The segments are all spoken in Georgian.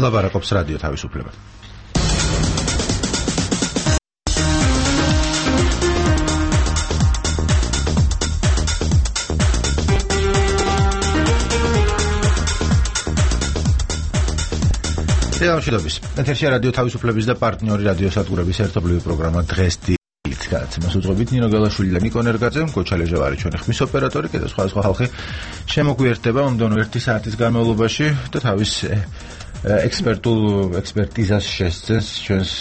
ლაბარაკობს რადიო თავისუფლება. შედობის. ეთერშია რადიო თავისუფლების და პარტნიორი რადიოსადგურების ერთობლივი პროგრამა დღეს დილით გადაცემას უძღვებით ნინო გელაშვილი და ნიკო ნერგაძე, გოჩა ლეჟევარი ჩვენი ხმის ოპერატორი, კიდევ სხვა ხალხი შემოგვიერთდება მომდევნო 1 საათის განმავლობაში და თავის ექსპერტიზას შესწევს ჩვენს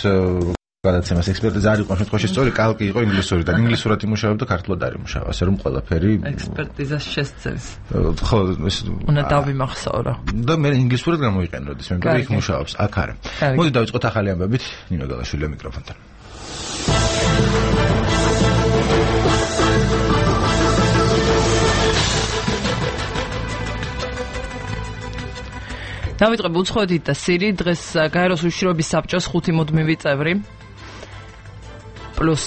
გადაცემას. ექსპერტიზა არ იყო შემთხვევაში სწორი, კალკი იყო ინგლისურიდან. ინგლისურად იმუშავებ და ქართულად არ იმუშავ, ასე რომ ყველაფერი ექსპერტიზას შესწევს. ხო, ეს უნდა დავიმახსოვრა. და მე ინგლისურად გამოიყენო, როდის მე მგონი იქ მუშაობს, აქ არა. მოდი დავიწყოთ ახალი ამბებით, ნინო გელაშვილი მიკროფონთან. დავიწყებ უცხოეთით და სირიით. დღეს გაეროს უშიშროების საბჭოს 5 მუდმივი წევრი პლუს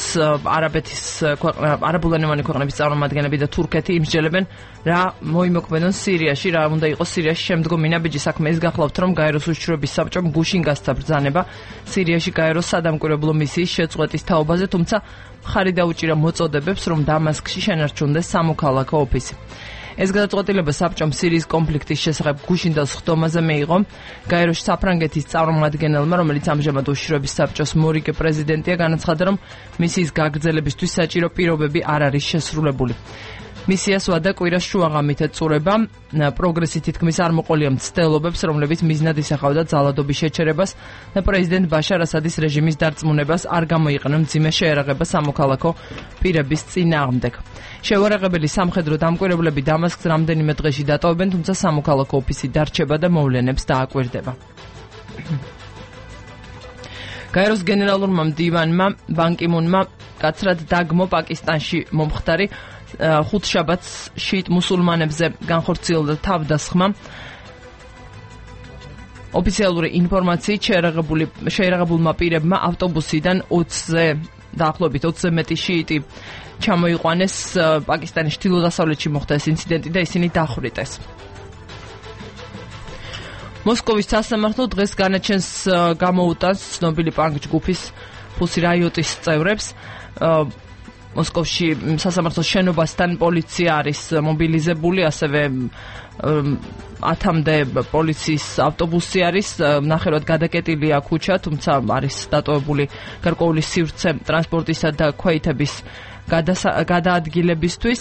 არაბულენოვანი ქვეყნების წარმომადგენლები და თურქეთი იმსჯელებენ რა მოიმოქმედონ სირიაში, რა უნდა იყოს სირიაში შემდგომი ნაბიჯი. საქმე ის გახლავთ, რომ გაეროს უშიშროების საბჭომ გუშინ გასცა ბრძანება სირიაში გაეროს სადამკვირვებლო მისიის შეწყვეტის თაობაზე, თუმცა მხარი დაუჭირა მოწოდებებს, რომ დამასკში შენარჩუნდეს სამოქალაქო ოფისი. ეს გადაწყვეტილება საბჭომ სირიის კონფლიქტის შესახებ გუშინდელ სხდომაზე მიიღო. გაეროში საფრანგეთის წარმომადგენელმა, რომელიც ამჟამად უშიშროების საბჭოს მორიგე პრეზიდენტია, განაცხადა, რომ მისიის გაგრძელებისთვის საჭირო პირობები არ არის შესრულებული. მისიას ვადა კვირას შუაღამით ეწურება. პროგრესი თითქმის არ მოყოლია მცდელობებს, რომლებიც მიზნად ისახავდა ძალადობის შეჩერებას და პრეზიდენტ ბაშარ ასადის რეჟიმის დარწმუნებას არ გამოიყენა მძიმე შეერაღება სამოქალაქო პირების წინააღმდეგ. შეუარაღებელი სამხედრო დამკვირვებლები დამასკს რამდენიმე დღეში დატოვებენ, თუმცა სამოქალაქო ოფისი დარჩება და მოვლენებს დააკვირდება. გაეროს გენერალურმა მდივანმა ბან კი მუნმა კაცრად დაგმო პაკისტანში მომხდარი ხუთშაბათს შიიტ მუსულმანებზე განხორციელდა თავდასხმა. ოფიციალური ინფორმაციით შეერაღებულმა პირებმა ავტობუსიდან 20-ზე დაახლოებით 20-ზე მეტი შიიტი ჩამოიყვანეს. პაკისტანის ჩრდილო-დასავლეთში მოხდა ეს ინციდენტი და ისინი დახვრიტეს. მოსკოვის სასამართლო დღეს განაჩენს გამოუტანს ცნობილი პანკ ჯგუფის ფუსი რაიოტის წევრებს. მოსკოვში სასამართლოს შენობასთან პოლიცია არის მობილიზებული, ასევე 10-მდე პოლიციის ავტობუსი არის, ნახევრად გადაკეტილია ქუჩა, თუმცა არის დატოვებული გარკვეული სივრცე ტრანსპორტისა და ქვეითების გადაადგილებისთვის.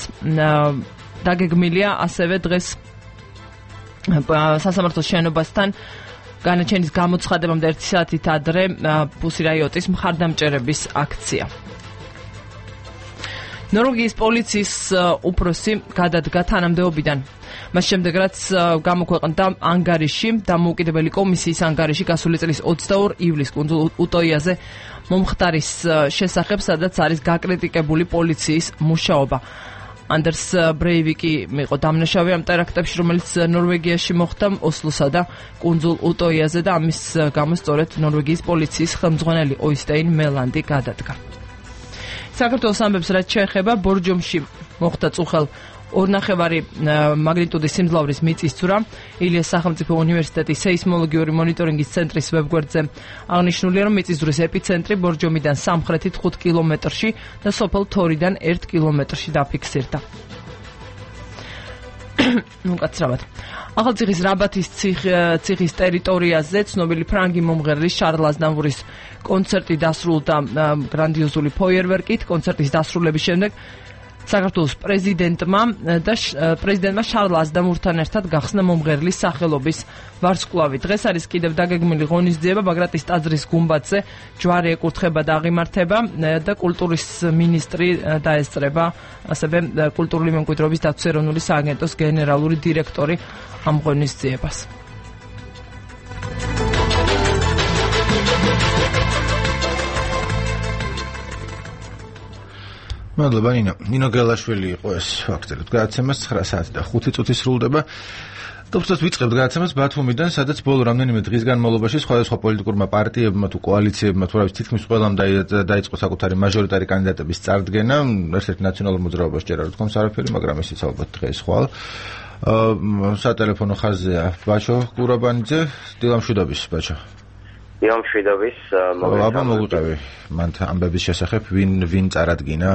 დაგეგმილია ასევე დღეს სასამართლოს შენობასთან განაჩენის გამოცხადებამდე 1 საათით ადრე ფუსი რაიოტის მხარდამჭერების აქცია. ნორვეგიის პოლიციის უფროსი გადადგა თანამდებობიდან. მას შემდეგ, რაც გამოქვეყნდა ანგარიში, დამოუკიდებელი კომისიის ანგარიში გასული წლის 22 ივლისს კუნძულ უტოიაზე მომხდარის შესახებ, სადაც არის გაკრიტიკებული პოლიციის მუშაობა. ანდერს ბრეივიკი იყო დამნაშავე ამ ტერაქტებში, რომელიც ნორვეგიაში მოხდა ოსლოსა და კუნძულ უტოიაზე და ამის გამო სწორედ ნორვეგიის პოლიციის ხელმძღვანელი ოისტეინ მელანდი გადადგა. საქართველოს ამბებს რაც შეეხება ბორჯომში მოხდა წუხელ 2.5 მაგნიტუდის სიმძლავრის მიწისძვრა. ილიას სახელმწიფო უნივერსიტეტის სეისმოლოგიური მონიტორინგის ცენტრის ვებგვერდზე აღნიშნულია, რომ მიწისძვრის ეპიცენტრი ბორჯომიდან სამხრეთით 5 კილომეტრში და სოფელ თორიდან 1 კილომეტრში დაფიქსირდა. უკაცრავად. ახალციხის რაბათის ციხის ტერიტორიაზე ცნობილი ფრანგი მომღერლის შარლ აზნავურის კონცერტი დასრულდა გრანდიოზული ფოიერვერკით. კონცერტის დასრულების შემდეგ საქართველოს პრეზიდენტმა შარლ აზნავურთან ერთად გახსნა მომღერლის სახელობის ვარსკვლავი. დღეს არის კიდევ დაგეგმილი ღონისძიება ბაგრატის ტაძრის გუმბათზე, ჯვარი ეკურთხება და აღიმართება და კულტურის მინისტრი დაესწრება, ასევე კულტურული მემკვიდრეობის დაცვის ეროვნული სააგენტოს გენერალური დირექტორი ამ ღონისძიებას. მადლობა ნინო გელაშვილი იყო ეს ფაქტობრივად გადაცემას 9 საათი და 5 წუთი სრულდება. თუმცა ვიწყებთ გადაცემას ბათუმიდან, სადაც ბოლო რამდენიმე დღის განმავლობაში სხვადასხვა პოლიტიკურმა პარტიებმა თუ კოალიციებმა თუ რაvis თითქმის ყველამ დაიწყო საკუთარი მაჟორიტარი კანდიდატების წარდგენა. ერთ-ერთი ნაციონალურ მოძრაობას ჯერ არ თქონს არაფერი, მაგრამ ისიც ალბათ დღეს ხვალ. სატელეფონო ხაზია ბაჩო გურაბანიძე, დილამშვიდობის ბაჩო. დილამშვიდობის, მოგვიყევი მან ამბების შესახებ ვინ წარადგინა?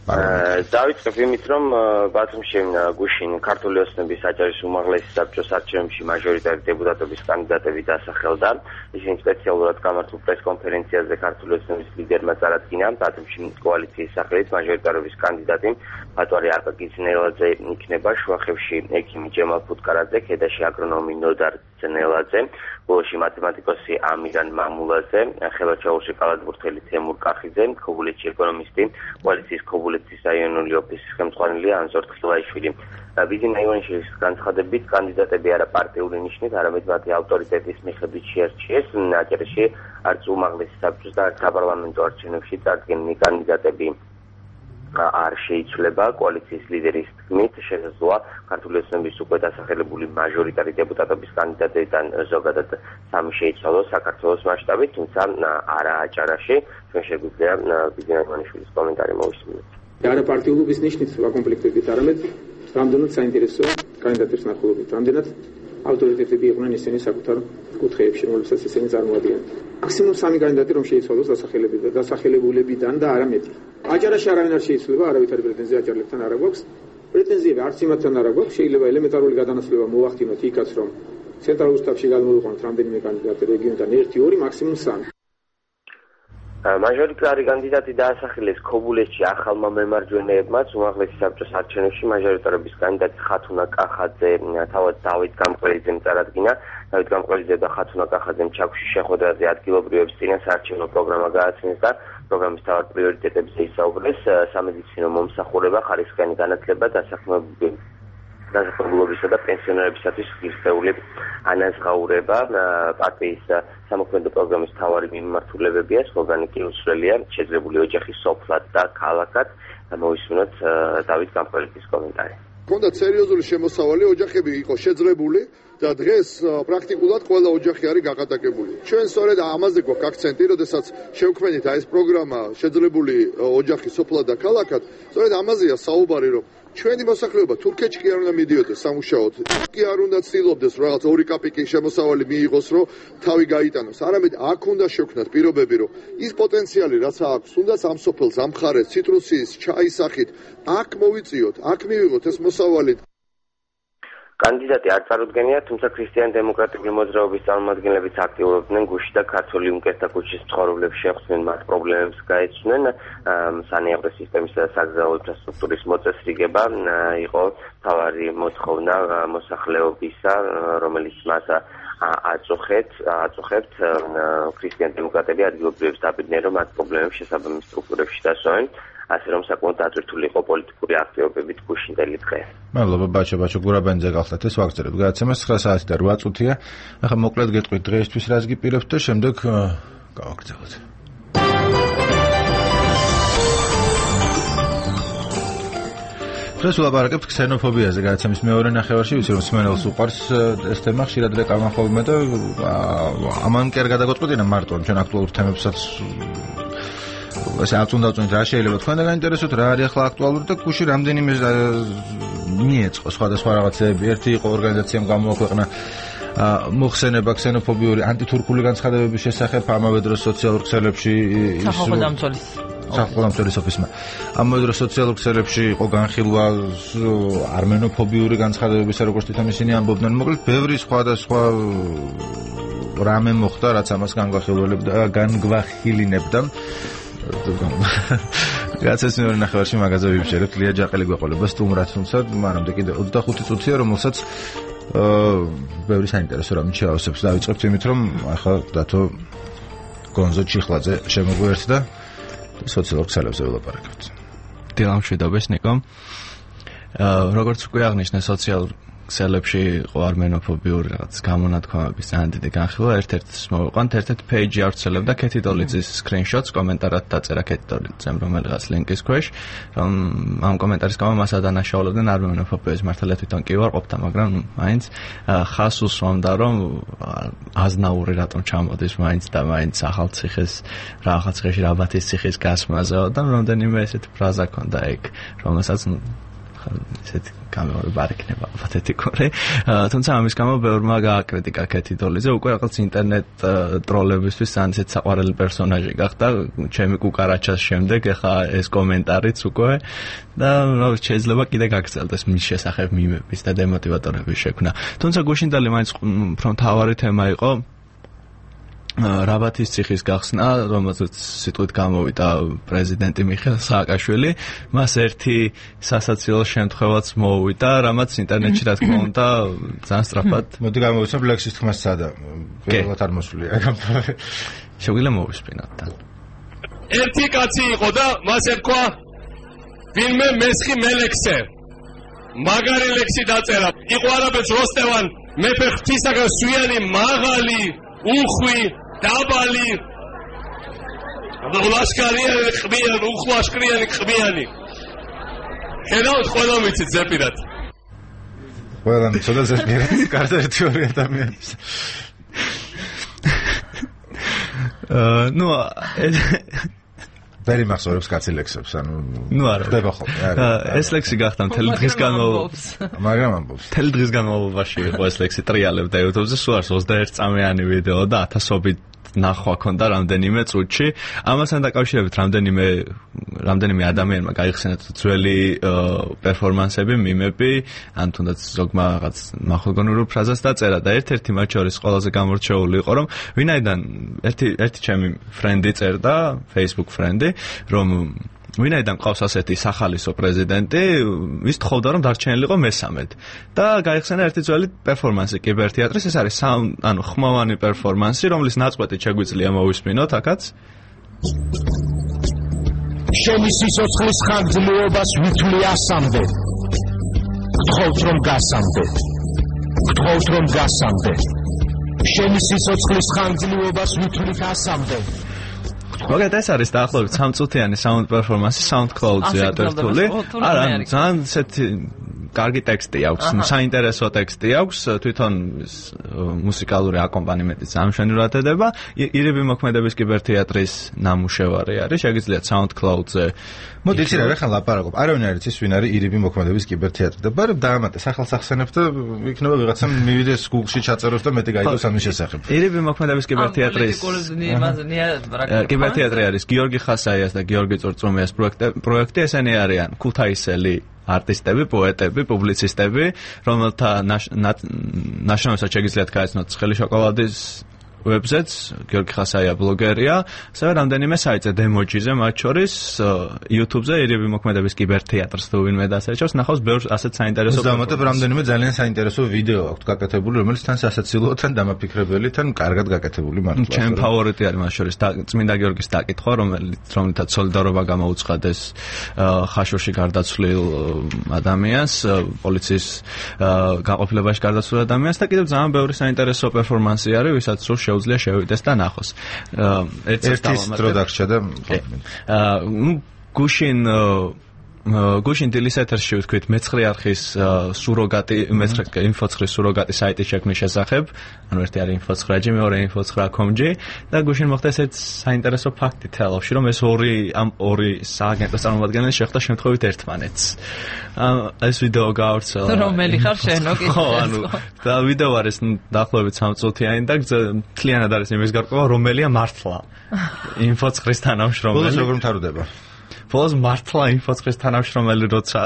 დავიწყებ იმით, რომ ბათუმში გუშინ ქართული ოცნების აჯარის უმაღლესი საბჭოს არჩევნებში მაჟორიტარი დეპუტატობის კანდიდატები დასახელდა. ისინი სპეციალურად გამართულ პრესკონფერენციაზე ქართული ოცნების ლიდერმა წარადგინა ბათუმში კოალიციის სახელით მაჟორიტარობის კანდიდატი ბატონი აკაკი ძნელაძე იქნება, შუახევში ექიმი ჯემალ ფუტკარაძე, ქედაში აგრონომი ნოდარ ძნელაძე, ბოლოში მათემატიკოსი ამირან მამულაძე, ხელვაჩაურში კალათბურთელი თემურ კახიძე, ქობულეთში ეკონომისტი, კოალიციის ქობულეთის რაიონული ოფისის ხელმძღვანელი ანზორ თხილაიშვილი. ბიძინა ივანიშვილის განცხადებით, კანდიდატები არა პარტიული ნიშნით, არამედ მათი ავტორიტეტის მიხედვით შეარჩიეს. აჯერში არც უმაღლესი საბჭოს და არც საპარლამენტო არჩევნებში წარდგენილი კანდიდატები არ შეიცვლება. კოალიციის ლიდერის თქმით, შესაძლოა ქართული ოცნების უკვე დასახელებული მაჟორიტარი დეპუტატობის კანდიდატებიდან ზოგადად 3 შეიცვალოს საქართველოს მასშტაბით, თუმცა არა აჭარაში. ჩვენ შეგვიძლია ბიძინა ივანიშვილის კომენტარი მოვისმინოთ. არა პარტიულობის ნიშნით ვაკომპლექტებით, არამედ რამდენად საინტერესო კანდიდატებს ნახულობით, რამდენად ავტორიტეტები იყვნენ ისინი საკუთარ კუთხეებში, რომლებსაც ისინი წარმოადგენდნენ. მაქსიმუმ 3 კანდიდატი რომ შეიცვალოს დასახელებულებიდან და არა მეტი. აჭარაში არავინ არ შეიცვლება, არავითარი პრეტენზია აჭარლებთან არ აქვს. პრეტენზიები არც იმათთან არ აქვს, შეიძლება ელემენტარული გადანაცვლება მოვახდინოთ იქაც, რომ ცენტრალურ შტაბში გადმოვიყვანოთ რამდენიმე კანდიდატი რეგიონიდან 1-2, მაქსიმუმ 3. მაჟორიტარი კანდიდატი დაასახელეს ქობულეთში ახალმა მემარჯვენეებმაც უმაღლესი საბჭოს არჩევნებში მაჟორიტარობის კანდიდატი ხათუნა კახაძე თავად დავით გამყრელიძემ წარადგინა. დავით გამყრელიძე და ხათუნა კახაძემ ჩაქვში შეხვედრაზე ადგილობრივებს წინა საარჩევნო პროგრამა გააცნეს და პროგრამის თავად პრიორიტეტებზე ისაუბრეს. სამედიცინო მომსახურება, ხარისხიანი განათლება, დასახლებულობისა და პენსიონერებისათვის ღირსეული ანაზღაურება. პარტიის სამოქმედო პროგრამის მთავარი მიმართულებებია, სლოგანი კი უსწრელია, შეძლებული ოჯახი სოფლად და ქალაქად. მოვისმინოთ დავით გამყრელიძის კომენტარი. ჰქონდათ სერიოზული შემოსავალი, ოჯახები იყო შეძლებული და დღეს პრაქტიკულად ყველა ოჯახი არის გაკატაკებული. ჩვენ სწორედ ამაზე გვაქვს აქცენტი, როდესაც შევქმნით ეს პროგრამა შეძლებული ოჯახი სოფლად და ქალაქად, სწორედ ამაზეა საუბარი, რომ ჩვენი მოსახლეობა თურქეთში კი არ უნდა მიდიოდეს სამუშაოდ, კი არ უნდა ცდილობდეს რაღაც 2 კაპიკი შემოსავალი მიიღოს, რომ თავი გაიტანოს, არამედ აქ უნდა შევქმნათ პირობები, რომ ის პოტენციალი რაც აქვს, უნდა ამ სოფელს, ამ მხარეს, ციტრუსის, ჩაის სახით, აქ მოვიწიოთ, აქ მივიღოთ ეს მოსავალი. კანდიდატი არ წარუდგენია, თუმცა ქრისტიან-დემოკრატიული მოძრაობის წარმომადგენლებიც აქტიურობდნენ გუშინ და ქართული უმკერთა ქუჩის მცხოვრებლებს შეხვდნენ, მათ პრობლემებს გაეცნენ. სანეავრო სისტემის და საგზაო ინფრასტრუქტურის მოწესრიგება იყო მთავარი მოთხოვნა მოსახლეობისა, რომელიც მას აწუხებთ. ქრისტიან-დემოკრატები ადგილობრივებს დაბეჭდნენ, რომ მათ პრობლემებს შესაბამის სტრუქტურებში დასვენ. ასე რომ საკმაოდ დაწვრთული იყო პოლიტიკური აქტივობებით გუშინდელი დღე. მადლობა ბაჩო გურაბანიძე გახლდათ ეს ვაგრძელებთ. გადაცემას 9 საათი და 8 წუთია. ახლა მოკლედ გეტყვით დღეისთვის რას გიპირებთ და შემდეგ გავაგრძელოთ. დღეს ვლაპარაკებთ ქსენოფობიაზე გადაცემის მეორე ნახევარში, ვიცი რომ სმენელს უყვარს ეს თემა, ხშირად რეკამა ხოლმე და ამან კი არ გადაგაწყვეტინა მარტო ჩვენ აქტუალურ თემებსაც ასე აწუნდავწუნეთ რა შეიძლება თქვენ და გაინტერესოთ რა არის ახლა აქტუალური და გუშინ რამდენიმე მიეწყო სხვადასხვა რაღაცეები. ერთი იყო ორგანიზაციამ გამოაქვეყნა მოხსენება ქსენოფობიური ანტითურქული განცხადებების შესახებ ამავე დროს სოციალურ ქსელებში სახელმწიფოს ოფისმა. ამავე დროს სოციალურ ქსელებში იყო განხილვა არმენოფობიური განცხადებებისა, როგორც თვითონ ისინი ამბობდნენ. მოკლედ ბევრი სხვადასხვა რამე მოხდა, რაც ამას განგვახილინებდა. გაცეს მეორე ნახევარში მაგაზე ვიბჭერებთ. ლია ჯაყელი გვეყოლება სტუმრად, თუმცა მანამდე კიდე 25 წუთია, რომელსაც ბევრი საინტერესო რამე შეავსებს. დავიწყებთ იმით, რომ ახლა დათო გონზო ჩიხლაძე შემოგვიერთდა და სოციალურ ქსელებზე ვილაპარაკებთ. დილამშვიდობის ნიკო. როგორც უკვე აღნიშნე, სოციალურ ქსელებში იყო არმენოფობიური რაღაც გამონათქვამების ძალიან დიდი განხილვა. ერთ-ერთს მოვიყვანთ, ერთ-ერთ პეიჯი ავრცელებდა ქეთი დოლიძის სკრინშოტს, კომენტარად დაწერა ქეთი დოლიძემ რომელიღაც ლინკის ქვეშ, რომ ამ კომენტარის გამო მას ადანაშაულებდნენ არმენოფობიის მართალია თვითონ კი ვარ ყოფთა, მაგრამ მაინც ხას უსვამდა, რომ აზნაური რატომ ჩამოდის მაინც და მაინც ახალციხის რაღაც ხეში რაბათის ციხის გასმაზე და რამდენიმე ესეთი ფრაზა ქონდა ეგ, რომელსაც ესეთი გამეორება არ იქნება პათეტიკური. თუმცა ამის გამო ბევრმა გააკრიტიკა კეთი დოლიძე, უკვე რაღაც ინტერნეტ ტროლებისთვის ძალიან საყვარელი პერსონაჟი გახდა, ჩემი კუკარაჩას შემდეგ, ეხა ეს კომენტარიც უკვე და შეიძლება კიდე გაგრძელდეს მის შესახებ მიმების და დემოტივატორების შექმნა. თუმცა გუშინდელი მაინც უფრო მთავარი თემა იყო რაბათის ციხის გახსნა, რომელზეც სიტყვით გამოვიდა პრეზიდენტი მიხეილ სააკაშვილი, მას ერთი სასაცილო შემთხვევაც მოუვიდა, რამაც ინტერნეტში რა თქმა უნდა ძალიან სწრაფად. მოდი გამოვიცნობ ლექსის თქმას სადა. პირველად არ მოსვლია გამთავარი. შეგვიძლია მოვისმინოთ თან. ერთი კაცი იყო და მას ერქვა ვინმე მესხი მელექსე. მაგარი ლექსი დაწერა. იყო არაბეთს როსტევან მეფე ღვთისაგან სვიანი მაღალი, უხვი დაბალი ლაშქარიანი ყბიანი უხლაშქრიანი ყბიანი ხედავთ ყველა მიცით ზეპირად ყველა მიცოდა ზეპირად კარგი ერთი ადამიანის ნუ ვერი მახსოვრებს კაცი ლექსებს ანუ ნუ არა ხდება ხოლმე ეს ლექსი გახდა მთელი დღის განმავლობაში მაგრამ ამბობს მთელი დღის განმავლობაში იყო ეს ლექსი ტრიალებდა YouTube-ზე სულ არის 21 წამიანი ვიდეო და ათასობით ნახვა ქონდა რამდენიმე წუთში ამასთან დაკავშირებით რამდენიმე ადამიანმა გაიხსენა ძველი პერფორმანსები მიმები ან თუნდაც ზოგმა რაღაც მახვილგონური ფრაზას დაწერა და ერთ-ერთი მათ შორის ყველაზე გამორჩეული იყო რომ ვინაიდან ერთი ჩემი ფრენდი წერდა Facebook ფრენდი რომ ვინაიდან ყავს ასეთი სახალისო პრეზიდენტი, ის თხოვდა რომ დარჩენილიყო მესამედ. და გაიხსენა ერთი ძველი პერფორმანსი კიბერთეატრის, ეს არის ხმოვანი პერფორმანსი, რომლის ნაწყვეტი შეგვიძლია მოვისმინოთ აქაც. შენი სიცოცხლის ხანგრძლივობას ვითვლი ასამდე. გთხოვთ რომ გასამდე. გთხოვთ რომ გასამდე. შენი სიცოცხლის ხანგრძლივობას ვითვლი გასამდე. მოგეთ ეს არის დაახლოებით 3 წუთიანი sound performance SoundCloud-ზე ატვირთული. არა, ძალიან ესეთი კარგი ტექსტი აქვს, საინტერესო ტექსტი აქვს, თვითონ მუსიკალური აკომპანიმენტიც ამშვენივრად ედება. ირიბი მოქმედების კიბერთეატრის ნამუშევარი არის, შეგიძლიათ SoundCloud-ზე. მოდი იცი რა ხან ლაპარაკობ. არავინ არ იცის ვინ არის ირიბი მოქმედების კიბერთეატრი და ბარებ დაამატე სახელს ახსენებ და იქნება ვიღაცამ მივიდეს Google-ში ჩაწეროს და მეტი გაიგოს ამის შესახებ. ირიბი მოქმედების კიბერთეატრის კიბერთეატრი არის გიორგი ხასაიას და გიორგი წურწუმიას პროექტი, ესენი არიან ქუთაისელი არტისტები, პოეტები, პუბლიცისტები, რომელთა ნაშრომებსაც შეგიძლიათ გაეცნოთ ცხელი შოკოლადის ვებზეც, გიორგი ხასაია ბლოგერია, ასევე რამდენიმე საიტზე დემოჯიზე, მათ შორის YouTube-ზე ირიბი მოქმედების კიბერთეატრს თუ ვინმე დასერჩავს, ნახავს ბევრ ასეთ საინტერესო დამატებ რამდენიმე ძალიან საინტერესო ვიდეო აქვს გაკეთებული, რომელიც თან სასაცილოა, თან დამაფიქრებელი, თან კარგად გაკეთებული მართლა. ჩემი ფავორიტი არის მათ შორის წმინდა გიორგის დაკითხვა, რომელთაც სოლიდარობა გამოუცხადეს ხაშურში გარდაცვლილ ადამიანს, პოლიციის გაყოფილებაში გარდაცვლილ ადამიანს და კიდევ ძალიან ბევრი საინტერესო პერფორმანსი არის, ვისაც სულ შეუძლია შევიდეს და ნახოს. ერთის დრო დაგრჩა და გუშინ დილის ეთერში ვთქვით მეცხრე არხის სუროგატი, მეცხრე ინფოცხრის სუროგატი საიტის შექმნის შესახებ, ანუ ერთი არის info9g, მეორე info9.com-ი და გუშინ მოხდა ესეთ საინტერესო ფაქტი თელავში, რომ ეს ორი სააგენტოს წარმომადგენელი შეხვდა შემთხვევით ერთმანეთს. ეს ვიდეო გავრცელა. რომელი ხარ შენო კიდე? ხო, ანუ და ვიდეო არის დაახლოებით 3 წუთიანი და მთლიანად არის იმის გარკვევა, რომელია მართლა info9-ის თანამშრომელი. ბოლოს როგორ მთავრდება? ბოლოს მართლა info9-ის თანამშრომელი როცა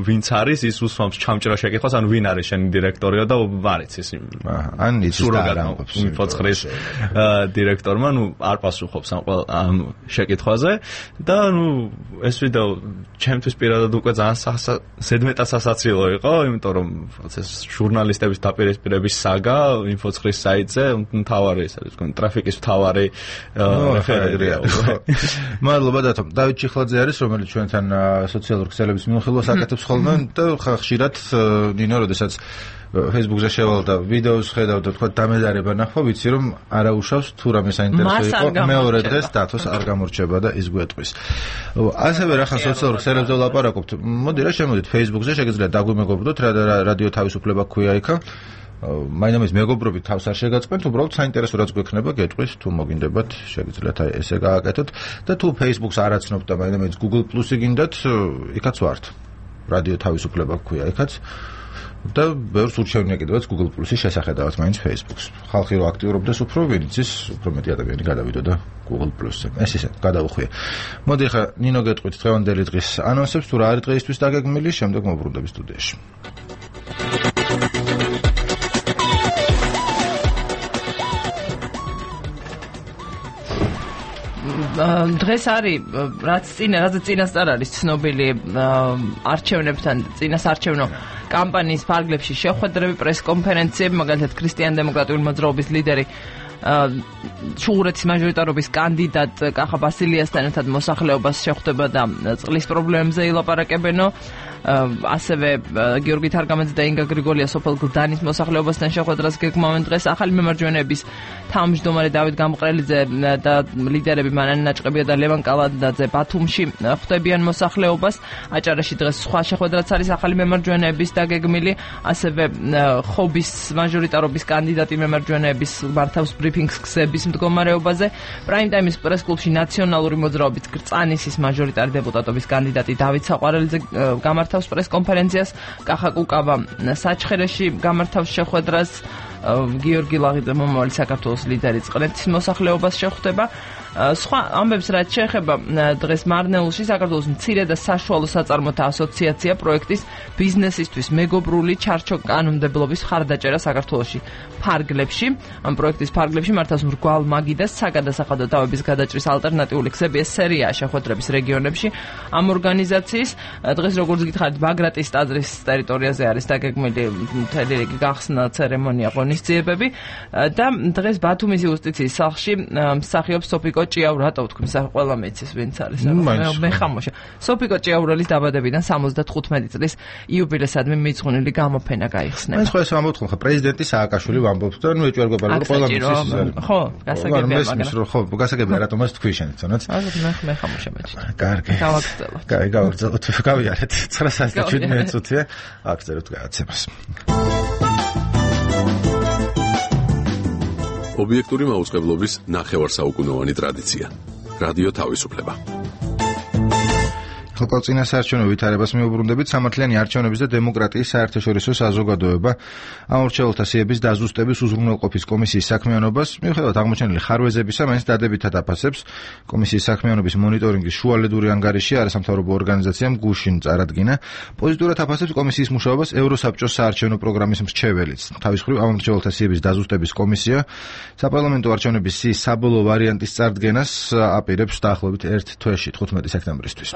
ვინც არის ის უსვამს ჩამჭრა შეკითხვას ანუ ვინ არის შენი დირექტორიო და არ იცის ან იცის და არ ამბობს info9-ის დირექტორმა ნუ არ პასუხობს ამ შეკითხვაზე და ნუ ეს ვიდეო ჩემთვის პირადად უკვე ძალიან ზედმეტად სასაცილო იყო იმიტომ რომ ეს ჟურნალისტების დაპირისპირების საგა info9-ის საიტზე მთავარი ეს არის ტრაფიკის მთავარი რეფერენტია მადლობა დათო დავით ჩიხლაძე არის რომელიც ჩვენთან სოციალურ ქსელების მიმოხილვას აკეთებს ხოლმე და ხშირად ნინო როდესაც Facebook-ზე შევალ და ვიდეოს ხედავ და თქვა დამედარება ნახვა ვიცი რომ არაუშავს თუ რამე საინტერესო იყო მეორე დღეს დათოს არ გამორჩება და ის გვეტყვის ასევე რახან სოციალურ ქსელებზე ლაპარაკობთ მოდი რა შემოდით Facebook-ზე შეგიძლიათ დაგვიმეგობრდოთ რა რადიო თავისუფლება ქვია იქა მაინამის მეგობრობით თავს არ შეგაწყვეტთ, უბრალოდ საინტერესო რაც გვექნება, გეტყვის თუ მოგინდებათ, შეგიძლიათ ესე გააკეთოთ და თუ Facebook-ს არ აცნობთ და მაინამის Google+-ი გინდათ, იქაც ვართ. რადიო თავისუფლება გვქვია ეხაც და ბევრს ურჩევნია კიდევაც Google Plus-ის შესახედავად მაინც Facebook-ს. ხალხი რო აქტიურობდეს უფრო ვინც ის უფრო მეტი ადამიანი გადავიდოდა Google Plus-ზე. ეს ისე გადავუხვია. მოდი ახლა ნინო გეტყვით დღევანდელი დღის ანონსებს თუ რა არის დღეისთვის დაგეგმილი, შემდეგ მოვბრუნდები სტუდიაში. დღეს არის რაც წინასწარ არის ცნობილი არჩევნებთან წინასარჩევნო კამპანიის ფარგლებში შეხვედრები, პრესკონფერენციები, მაგალითად ქრისტიან-დემოკრატიული მოძრაობის ლიდერი ჩუღურეთის მაჟორიტარობის კანდიდატ კახა ბასილიასთან ერთად მოსახლეობას შეხვდება და წყლის პრობლემებზე ილაპარაკებენო. ასევე გიორგი თარგამაძე და ინგა გრიგოლია სოფელ გლდანის მოსახლეობასთან შეხვედრას გეგმავენ დღეს. ახალი მემარჯვენეების თავმჯდომარე დავით გამყრელიძე და ლიდერები მანანი ნაჭყებია და ლევან კალანდაძე ბათუმში ხვდებიან მოსახლეობას. აჭარაში დღეს სხვა შეხვედრაც არის ახალი მემარჯვენეების დაგეგმილი. ასევე ხობის მაჟორიტარობის კანდიდატი მემარჯვენეების მართავს ბრიფინგს გზების მდგომარეობაზე. პრაიმ ტაიმის პრესკლუბში ნაციონალური მოძრაობის გრწანისის მაჟორიტარი დეპუტატობის კანდიდატი დავით საყვარელიძე გამართავს პრესკონფერენციას. კახა კუკავა საჩხერეში გამართავს შეხვედრას. გიორგი ლაღიძე მომავალი საქართველოს ლიდერი წყნეთის მოსახლეობას შეხვდება. სხვა ამბებს რაც შეეხება დღეს მარნეულში საქართველოს მცირე და საშუალო საწარმოთა ასოციაცია პროექტის ბიზნესისთვის მეგობრული ჩარჩო კანონმდებლობის ხარდაჭერა საქართველოში ფარგლებში. ამ პროექტის ფარგლებში მართავს მრგვალ მაგიდას საგადასახადო თავების გადაჭრის ალტერნატიული გზები. ეს სერიაა შეხვედრების რეგიონებში ამ ორგანიზაციის. დღეს როგორც გითხარით ბაგრატის ტაძრის ტერიტორიაზე არის დაგეგმილი მთელი რიგი გახსნა ცერემონია ღონისძიებები და დღეს ბათუმის იუსტიციის სახლში მსახიობს სოფიკო ჭიაურა, რატო ვთქვი, ყველა მეცის ვინც არის. მე ხამოშა. სოფიკო ჭიაურელის დაბადებიდან 75 წლის იუბილესადმი მიძღვნილი გამოფენა გაიხსნება. ეს ხო ეს ამბობთ ხომ პრეზიდენტი სააკაშვილი ვამბობთ და ნუ ეჭვი არ გვეპარება ყველა მეცის. ხო, გასაგებია მაგრამ ხო, გასაგებია რატომ ეს თქვი შენ თუნდაც. მე ხამოშა მეჩი. კარგი. გავაგრძელოთ. კარგი, გავაგრძელოთ. გავიარეთ. 9:17 წუთია. აგრძელებთ გადაცემას. ობიექტური მაუწყებლობის ნახევარსაუკუნოვანი ტრადიცია. რადიო თავისუფლება. ხალხო წინასაარჩევნო ვითარებას მიუბრუნდებით. სამართლიანი არჩევნების და დემოკრატიის საერთაშორისო საზოგადოება ამორჩეულთა სიების დაზუსტების უზრუნველყოფის კომისიის საქმიანობას მიუხედავად აღმოჩენილი ხარვეზებისა მაინც დადებითად აფასებს. კომისიის საქმიანობის მონიტორინგის შუალედური ანგარიში არასამთავრობო ორგანიზაციამ გუშინ წარადგინა. პოზიტიურად აფასებს კომისიის მუშაობას ევროსაბჭოს საარჩევნო პროგრამის მრჩეველიც. თავის მხრივ ამორჩეულთა სიების დაზუსტების კომისია საპარლამენტო არჩევნების სიის საბოლოო ვარიანტის წარდგენას აპირებს დაახლოებით 1 თვეში 15 სექტემბრისთვის.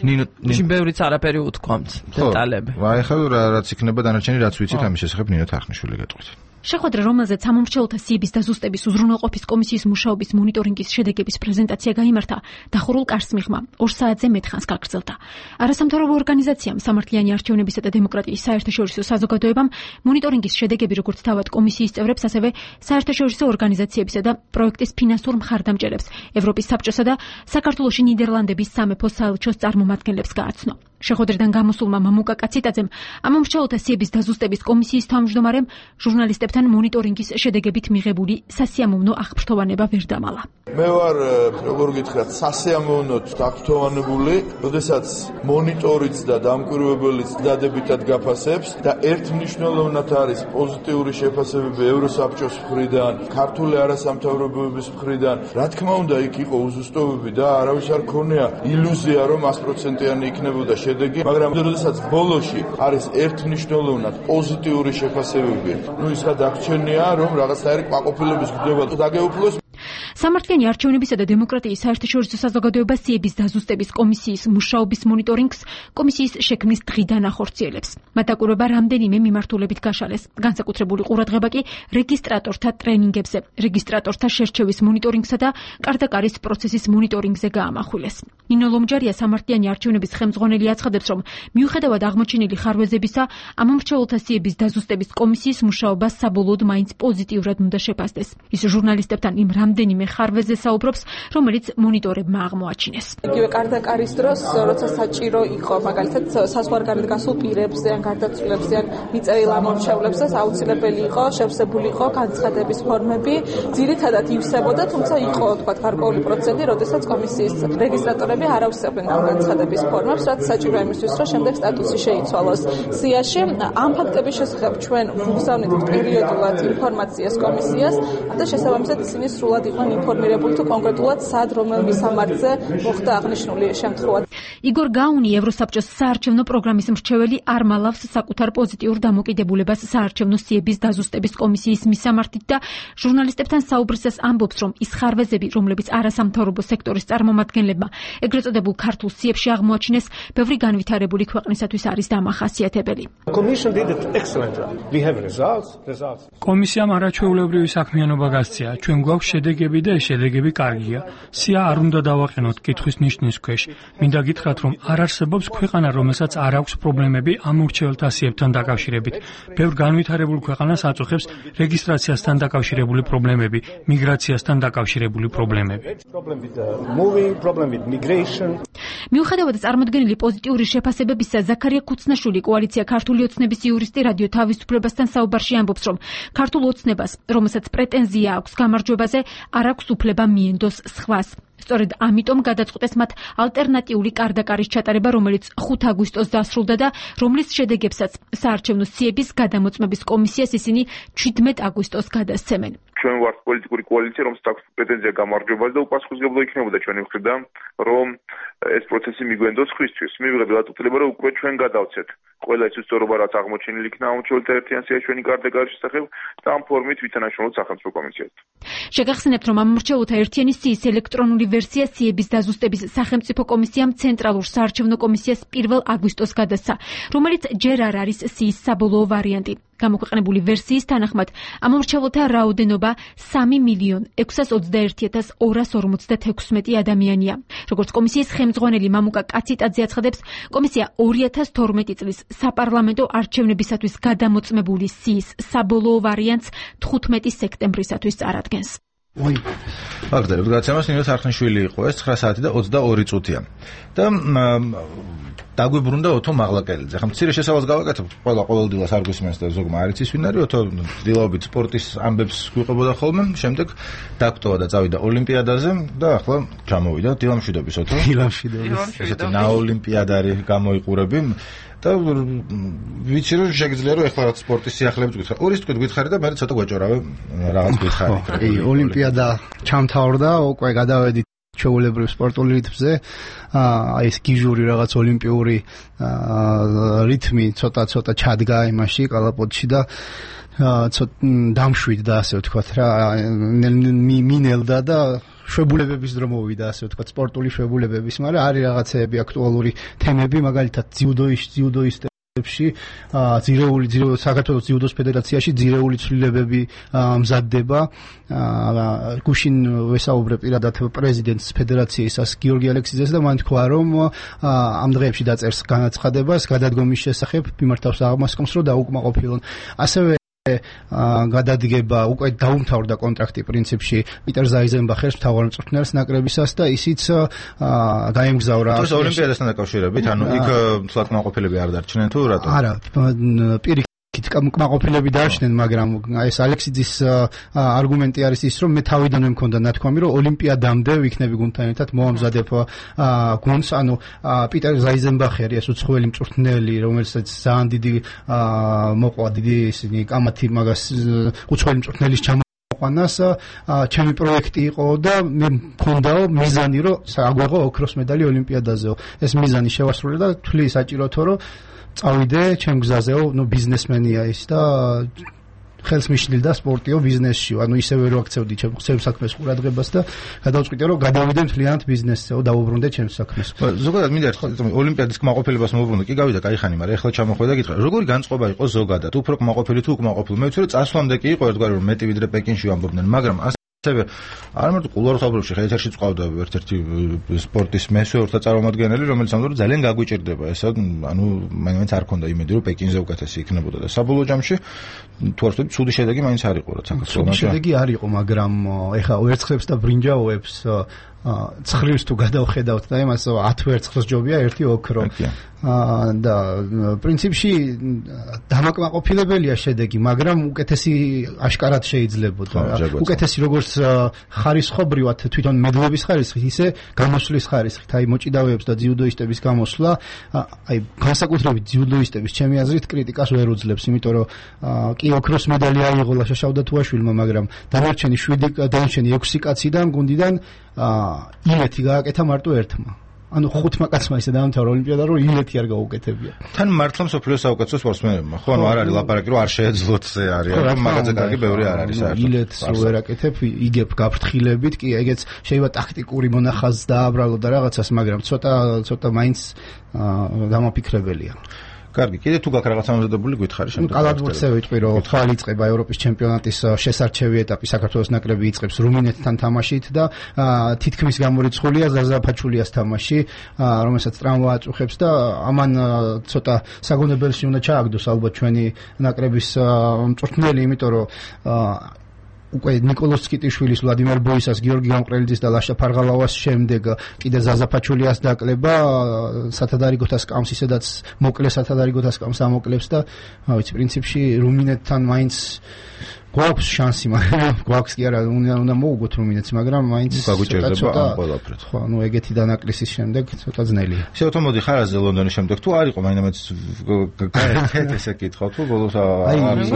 ნინო ბევრიც არაფერი უთქვამთ დეტალები. აი ხა რაც იქნება დანარჩენი რაც ვიცით ამის შესახებ ნინო თახნიშვილი გეტყვით. შეხვედრა, რომელზეც სამომრჩეველთა სიების დაზუსტების უზრუნველყოფის კომისიის მუშაობის მონიტორინგის შედეგების პრეზენტაცია გაიმართა, დახურულ კარს მიღმა 2 საათზე მეტ ხანს გაგრძელდა. არასამთავრობო ორგანიზაციამ სამართლიანი არჩევნებისა და დემოკრატიის საერთაშორისო საზოგადოებამ მონიტორინგის შედეგები როგორც თავად კომისიის წევრებს, ასევე საერთაშორისო ორგანიზაციებისა და პროექტის ფინანსურ მხარდამჭერებს, ევროპის საბჭოსა და საქართველოში ნიდერლანდების სამეფო საელჩოს წარმომადგენლებს გააცნო. შეხვედრიდან გამოსულმა მამუკა კაციტაძემ ამომრჩეველთა სიების დაზუსტების კომისიის თავმჯდომარემ ჟურნალისტებთან მონიტორინგის შედეგებით მიღებული სასიამოვნო აღფრთოვანება ვერ დამალა. მე ვარ, როგორ გითხრათ, სასიამოვნოდ აღფრთოვანებული, როდესაც მონიტორიც და დამკვირვებელიც დადებითად გაფასებს და ერთმნიშვნელოვნად არის პოზიტიური შეფასებები ევროსაბჭოს მხრიდან, ქართული არასამთავრობოების მხრიდან. რა თქმა უნდა, იქ იყო უზუსტობები და არავის არ ქონია ილუზია, რომ 100%-იანი იქნებოდა მაგრამ როდესაც ბოლოში არის ერთმნიშვნელოვნად პოზიტიური შეფასებები, ის გადაგჩენია, რომ რაღაცნაირი კმაყოფილების გრძნობა დაგეუფლოს. სამართლიანი არჩევნებისა და დემოკრატიის საერთაშორისო საზოგადოება სიების დაზუსტების კომისიის მუშაობის მონიტორინგს კომისიის შექმნის დღიდან ახორციელებს. მათ დაკვირვება რამდენიმე მიმართულებით გაშალეს. განსაკუთრებული ყურადღება კი რეგისტრატორთა ტრენინგებზე, რეგისტრატორთა შერჩევის მონიტორინგსა და კარდაკარის პროცესის მონიტორინგზე გაამახვილეს. ნინო ლომჯარია სამართლიანი არჩევნების ხელმძღვანელი აცხადებს, რომ მიუხედავად აღმოჩენილი ხარვეზებისა, ამომრჩეველთა სიების დაზუსტების კომისიის მუშაობა საბოლოოდ მაინც პოზიტიურად უნდა შეფასდეს. ის ჟურნალისტებთან იმ რამდენიმე რამდენიმე ხარვეზე საუბრობს, რომელიც მონიტორებმა აღმოაჩინეს. იგივე კარდაკარის დროს, როცა საჭირო იყო, მაგალითად, საზღვარგარეთ გასულ პირებზე ან გარდაცვლილებზე ან მიწერილ ამორჩევლებზე აუცილებელი იყო შევსებული იყო განცხადების ფორმები, ძირითადად ივსებოდა, თუმცა იყო, თქვათ, გარკვეული პროცენტი, როდესაც კომისიის რეგისტრატორები არ ავსებდნენ განცხადების ფორმებს, რაც საჭირო იმისთვის, რომ შემდეგ სტატუსი შეიცვალოს სიაში. ამ ფაქტების შესახებ ჩვენ ვუგზავნით პერიოდულად ინფორმაციას კომისიას და შესაბამისად ისინი სრულად იყვნენ ინფორმირებული თუ კონკრეტულად სად რომელ მისამართზე მოხდა აღნიშნული შემთხვევა. იგორ გაუნი, ევროსაბჭოს საარჩევნო პროგრამის მრჩეველი, არ მალავს საკუთარ პოზიტიურ დამოკიდებულებას საარჩევნო სიების დაზუსტების კომისიის მისამართით და ჟურნალისტებთან საუბრისას ამბობს, რომ ის ხარვეზები, რომლებიც არასამთავრობო სექტორის წარმომადგენლებმა ეგრეთ წოდებულ ქართულ სიებში აღმოაჩინეს, ბევრი განვითარებული ქვეყნისათვის არის დამახასიათებელი. კომისიამ არაჩვეულებრივი საქმიანობა გასწია. ჩვენ გვაქვს შედეგები და ეს შედეგები კარგია. სია არ უნდა დავაყენოთ კითხვის ნიშნის ქვეშ. მინდა გითხრათ, რომ არ არსებობს ქვეყანა, რომელსაც არ აქვს პრობლემები ამ ურჩეველთა სიებთან დაკავშირებით. ბევრ განვითარებულ ქვეყანას აწუხებს რეგისტრაციასთან დაკავშირებული პრობლემები, მიგრაციასთან დაკავშირებული პრობლემები. მიუხედავად წარმოდგენილი პოზიტიური შეფასებებისა, ზაქარია ქუცნაშვილი, კოალიცია ქართული ოცნების იურისტი, რადიო თავისუფლებასთან საუბარში ამბობს, რომ ქართულ ოცნებას, რომელსაც პრეტენზია აქვს გამარჯვებაზე, არ აქვს უფლება მიენდოს სხვას. სწორედ ამიტომ გადაწყვეტეს მათ ალტერნატიული კარდაკარის ჩატარება, რომელიც 5 აგვისტოს დასრულდა და რომლის შედეგებსაც საარჩევნო სიების გადამოწმების კომისიას ისინი 17 აგვისტოს გადასცემენ. ჩვენ ვართ პოლიტიკური კოალიცია, რომელსაც აქვს პრეტენზია გამარჯვებაზე და უპასუხისმგებლო იქნებოდა ჩვენი მხრიდან, რომ ეს პროცესი მიგვენდოს ხისთვის. მივიღებთ უთვლება, რომ უკვე ჩვენ გადავცეთ ყველა ის უსწორობა, რაც აღმოჩენილი იქნა ამორჩეულთა ერთიან სიაში ჩვენი კარდაკარის შესახებ და ამ ფორმით ვითანაშრომლოთ სახელმწიფო კომისიასთან. შეგახსენებთ, რომ ამორჩეულთა ერთიანი სიის ელექტრონული ვერსია სიების დაზუსტების სახელმწიფო კომისიამ ცენტრალურ საარჩევნო კომისიას 1 აგვისტოს გადასცა, რომელიც ჯერ არ არის სიის საბოლოო ვარიანტი. გამოქვეყნებული ვერსიის თანახმად ამორჩეულთა რაოდენობა 3,621,256 ადამიანია. როგორც კომისიის ხელმძღვანელი მამუკა კაციტაძე აცხადებს, კომისია 2012 წლის საპარლამენტო არჩევნებისათვის გადამოწმებული სიის საბოლოო ვარიანტს 15 სექტემბრისათვის წარადგენს. ვაგდარებ გადაცემას ნინო სარხნიშვილი იყო ეს 9 საათი და 22 წუთია. და დაგვიბრუნდა ოთო მაღლაკელიძე. ხა მცირე შესავალს გავაკეთებ, ყოველდღიურად არ გვისმენს და ზოგმა არ იცის ვინ არის, ოთო დილაობით სპორტის ამბებს გვიყვებოდა ხოლმე, შემდეგ დაგტოვა და წავიდა ოლიმპიადაზე და ახლა ჩამოვიდა დილამშვიდობის ოთო. დილამშვიდობის. ესეთი ნაოლიმპიადარი გამოიყურები. და ვიცი რომ შეგიძლია რომ ეხლა რაც სპორტის სიახლეებს გითხარ. ორის თქვით გითხარი და მე ცოტა გვეჭორავე რაღაც გითხარი. კი, ოლიმპიადა ჩამთავრდა, უკვე გადავედით ჩვეულებრივ სპორტულ რიტმზე. აი ეს გიჟური რაღაც ოლიმპიური რიტმი ცოტა ჩადგა იმაში კალაპოტში და დამშვიდდა ასე ვთქვათ რა, მინელდა და შვებულებების დრო მოვიდა ასე ვთქვათ, სპორტული შვებულებების, მაგრამ არის რაღაცეები აქტუალური თემები, მაგალითად ძიუდოისტებში, საქართველოს ძიუდოს ფედერაციაში ძირეული ცვლილებები მზადდება. გუშინ ვესაუბრე პირადად პრეზიდენტს ფედერაციისას გიორგი ალექსიძეს და მან თქვა, რომ ამ დღეებში დაწერს განაცხადებას გადადგომის შესახებ, მიმართავს აღმასკომს, რომ დაუკმაყოფილონ. ასევე გადადგება უკვე დაუმთავრდა კონტრაქტი პრინციპში პიტერ ზაიზენბახერს მთავარმწვრთნელს ნაკრებისას და ისიც გაემგზავრა ოლიმპიადასთან დაკავშირებით, ანუ იქ თლად კმაყოფილები არ დარჩნენ თუ რატო? არა, პირიქით კმაყოფილები დარჩნენ, მაგრამ ეს ალექსიძის არგუმენტი არის ის, რომ მე თავიდანვე მქონდა ნათქვამი, რომ ოლიმპიადამდე ვიქნები გუნდთან ერთად მოვამზადებ გუნდს, ანუ პიტერ ზაიზენბახერი, ეს უცხოელი მწვრთნელი, რომელსაც ძალიან დიდი მოყვა დიდი ისინი კამათი მაგას უცხოელი მწვრთნელის ჩამოყვანას, ჩემი პროექტი იყო და მე მქონდა მიზანი, რომ აგვეღო ოქროს медаლი ოლიმპიადაზეო. ეს მიზანი შევასრულე და თვლი საჭიროთო, რომ წავიდე ჩემ გზაზეო, ბიზნესმენია ის და ხელს მიშლილდა სპორტიო ბიზნესში, ანუ ისევე რო აქცევდი ჩემ საქმეს ყურადღებას და გადავწყვიტე რომ გადავიდე მთლიანად ბიზნესზეო, დავუბრუნდე ჩემ საქმეს. ზოგადად მინდა ოლიმპიადის კმაყოფილებას მოვუბრუნდე, კი გავიდა, კაი ხანი, მაგრამ ეხლა ჩამოხვედა გითხრა, როგორი განწყობა იყო ზოგადად, უფრო კმაყოფილი თუ უკმაყოფილი? მე ვიცი რომ წასვლამდე კი იყო ერთგვარი რომ მეტი ვიდრე პეკინში ვამბობდნენ, მაგრამ ასევე არ მარტო ყულვართავებში ეთერში წავდა ერთ-ერთი სპორტის მესვეურთა წარმომადგენელი, რომელიც ამბობდა ძალიან გაგვიჭირდება ესა, ანუ მაინც არ ქონდა იმედი, რომ პეკინზე უკეთესი იქნებოდა და საბოლოო ჯამში თუ არ ვთქვი, ცუდი შედეგი მაინც არ იყო, რაც საქართველოს. ცუდი შედეგი არ იყო, მაგრამ ეხა ვერცხლებს და ბრინჯაოებს ცხრილს თუ გადავხედავთ და იმას 10 ვერცხლს ჯობია ერთი ოქრო. და პრინციპში დამაკმაყოფილებელია შედეგი, მაგრამ უკეთესი აშკარად შეიძლებოდა. უკეთესი როგორც ხარისხობრივად თვითონ მედლების ხარისხით, ისე გამოსვლის ხარისხით, აი მოჭიდავეებს და ძიუდოისტების გამოსვლა, აი განსაკუთრებით ძიუდოისტების ჩემი აზრით კრიტიკას ვერ უძლებს, იმიტომ რომ კი ოქროს медаლი აიღო ლაშა შავდათუაშვილმა, მაგრამ დანარჩენი 6 კაციდან გუნდიდან იმეთი გააკეთა მარტო ერთმა. ანუ 5 კაცმა ისე დაამთავრა ოლიმპიადა, რომ იმეთი არ გაუკეთებია. თან მართლა მსოფლიოს საუკეთესო სპორტსმენებმა, ხო, ანუ არ არის ლაპარაკი, რომ არ შეეძლოთ ზე არის, რომ მაგაზე კარგი ბევრი არ არის საერთოდ. იმეთს რო ერაკეთებ, იგებ გაფრთხილებით, კი, ეგეც შეიძლება ტაქტიკური მონახაზს დააბრალო და რაღაცას, მაგრამ ცოტა მაინც დამაფიქრებელია. კარგი, კიდე თუ გაქვს რაღაც ამოზადებული გითხარი შემდეგ. კალათბურთზე ვიტყვი, რომ ხვალ იწყება ევროპის ჩემპიონატის შესარჩევი ეტაპი, საქართველოს ნაკრები იწყებს რუმინეთთან თამაშით და თითქმის გამორიცხულია ზაზა ფაჩულიას თამაში, რომელსაც ტრავმა აწუხებს და ამან ცოტა საგონებელში უნდა ჩააგდოს ალბათ ჩვენი ნაკრების მწვრთნელი, იმიტომ რომ უკვე ნიკოლოზ სკიტიშვილის, ვლადიმერ ბოისას, გიორგი გამყრელიძის და ლაშა ფარღალავას შემდეგ კიდე ზაზა ფაჩულიას დაკლება სათადარიგოთა სკამს, ისედაც მოკლე სათადარიგოთა სკამს ამოკლებს და ვიცი, პრინციპში რუმინეთთან მაინც გვაქვს შანსი, მაგრამ გვაქვს კი არა, უნდა მოუგოთ რუმინეთს, მაგრამ მაინც გაგვიჭირდება ამ ყველაფრით. ხო, ანუ ეგეთი დანაკლისის შემდეგ ცოტა ძნელია. შევთო მოდი ხარაზე ლონდონის შემდეგ თუ არ იყო მაინც გაერთეთ ესე კითხავ თუ ბოლოს ლონდონის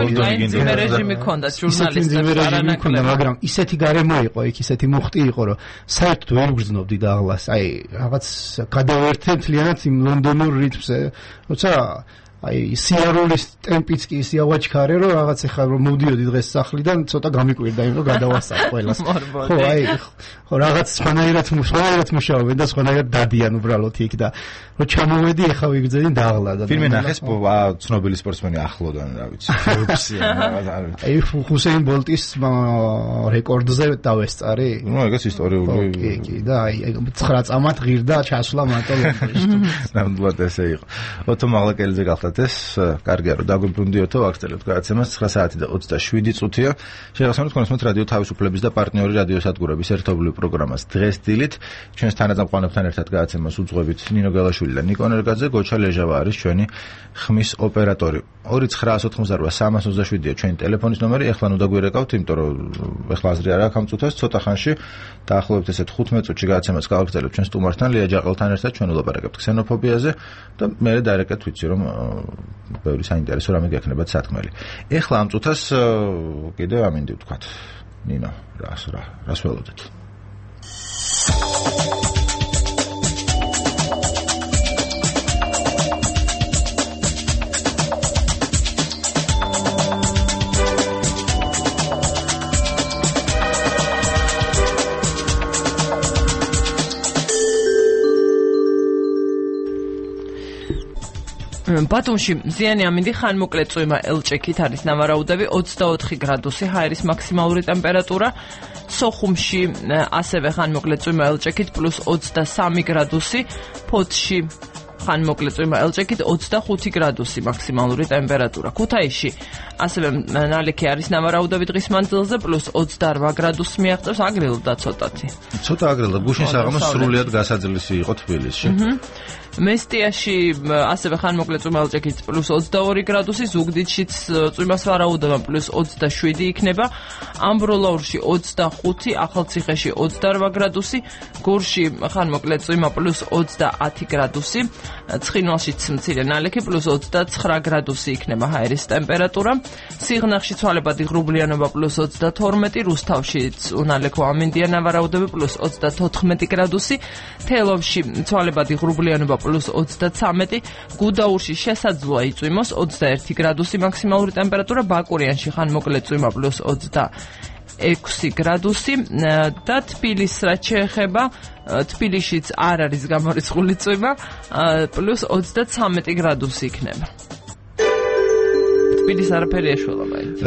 რეჟიმი ქონდა ჟურნალისტებს არანაკლები, მაგრამ ისეთი გარემო იყო, იქ ისეთი მუხტი იყო, რომ საერთოდ ვერ ვგრძნობდი და აღლას, აი რაღაც გადავერთე მთლიანად იმ ლონდონურ რიტმზე, როცა აი სიარულის ტემპიც კი ისე ავაჩქარე, რომ რაღაც ახლა რომ მოვდიოდი დღეს სახლიდან, ცოტა გამიკვირდა იმ რომ გადავასწარ ყველას. ხო, აი ხო რაღაც სხვანაირად მუშაობენ და სხვანაირად დადიან უბრალოდ იქ და რომ ჩამოვედი ახლა ვიგრძედი და აღლა და ფილმი ნახეს ცნობილი სპორტსმენი ახლოდან, რა ვიცი, ფორბსი რაღაც არ ვიცი. აი ჰუსეინ ბოლტის რეკორდზე დავესწარი. ნუ ეგეც ისტორიული. კი, და აი 9 წამად ღირდა ჩასვლა მარტო ლონდონში. ნამდვილად ესე იყო. ოთო მაღლაკელიძე გახდათ ეს, კარგია რომ დაგვიბრუნდიოთო, აქცელებთ გადაცემას 9 საათი და 27 წუთია. შეგახსენებთ კონსმეთ რადიო თავისუფლების და პარტნიორი რადიოსადგურების ერთობლივ პროგრამას დღეს დილით. ჩვენს თანაწამყვანებთან ერთად გადაცემას უძღვებით ნინო გელაშვილი და ნიკო ნერგაძე, გოჩა ლეჟავა არის ჩვენი ხმის ოპერატორი. 2988-327-ია ჩვენი ტელეფონის ნომერი. ეხლა ნუ დაგვირეკავთ, იმიტომ რომ ეხლა აზრი არ აქვს ამ წუთას, ცოტა ხანში დაახლოებით ესე 15 წუთში გადაცემას გავაგრძელებთ ჩვენ სტუმართან, ლია ჯაყელთან ერთად. ჩვენ ვლაპარაკებთ ქსენოფობიაზე და მე დაირეკეთ ვიცი რომ ბევრი საინტერესო რამე გექნებათ სათქმელი. ეხლა ამ წუთას კიდევ ამინდი ვთქვათ. ნინო, რას ველოდეთ? ბათუმში მზიანი ამინდი ხანმოკლე წვიმა ელჭექით არის ნავარაუდები 24 გრადუსი ჰაერის მაქსიმალური ტემპერატურა. სოხუმში ასევე ხანმოკლე წვიმა ელჭექით +23 გრადუსი. ფოთში ხანმოკლე წვიმა ელჭექით 25 გრადუსი მაქსიმალური ტემპერატურა. ქუთაისში ასევე ნალექი არის ნავარაუდები დღის მანძილზე +28 გრადუსს მიაღწევს, აგრილდა ცოტათი. ცოტა აგრილდა, გუშინ საღამოს სრულიად გასაძლისი იყო თბილისში. მესტიაში ასევე ხანმოკლე წვიმა ელჭექით +22 გრადუსი, ზუგდიდშიც წვიმას ვარაუდობა +27 იქნება, ამბროლაურში 25, ახალციხეში 28 გრადუსი, გორში ხანმოკლე წვიმა +30 გრადუსი, ცხინვალშიც მცირე ნალექი +29 გრადუსი იქნება ჰაერის ტემპერატურა, სიღნაღში ცვალებადი ღრუბლიანობა +32, რუსთავშიც უნალექო ამინდია ნავარაუდები +34 გრადუსი, თელავში ცვალებადი ღრუბლიანობა +33, გუდაურში შესაძლოა იწვიმოს 21 გრადუსი მაქსიმალური ტემპერატურა, ბაკურიანში ხანმოკლე წვიმა +26 გრადუსი და თბილისს რაც შეეხება, თბილისშიც არ არის გამორიცხული წვიმა, +33 გრადუსი იქნება. თბილისს არაფერი ეშველა მაინც.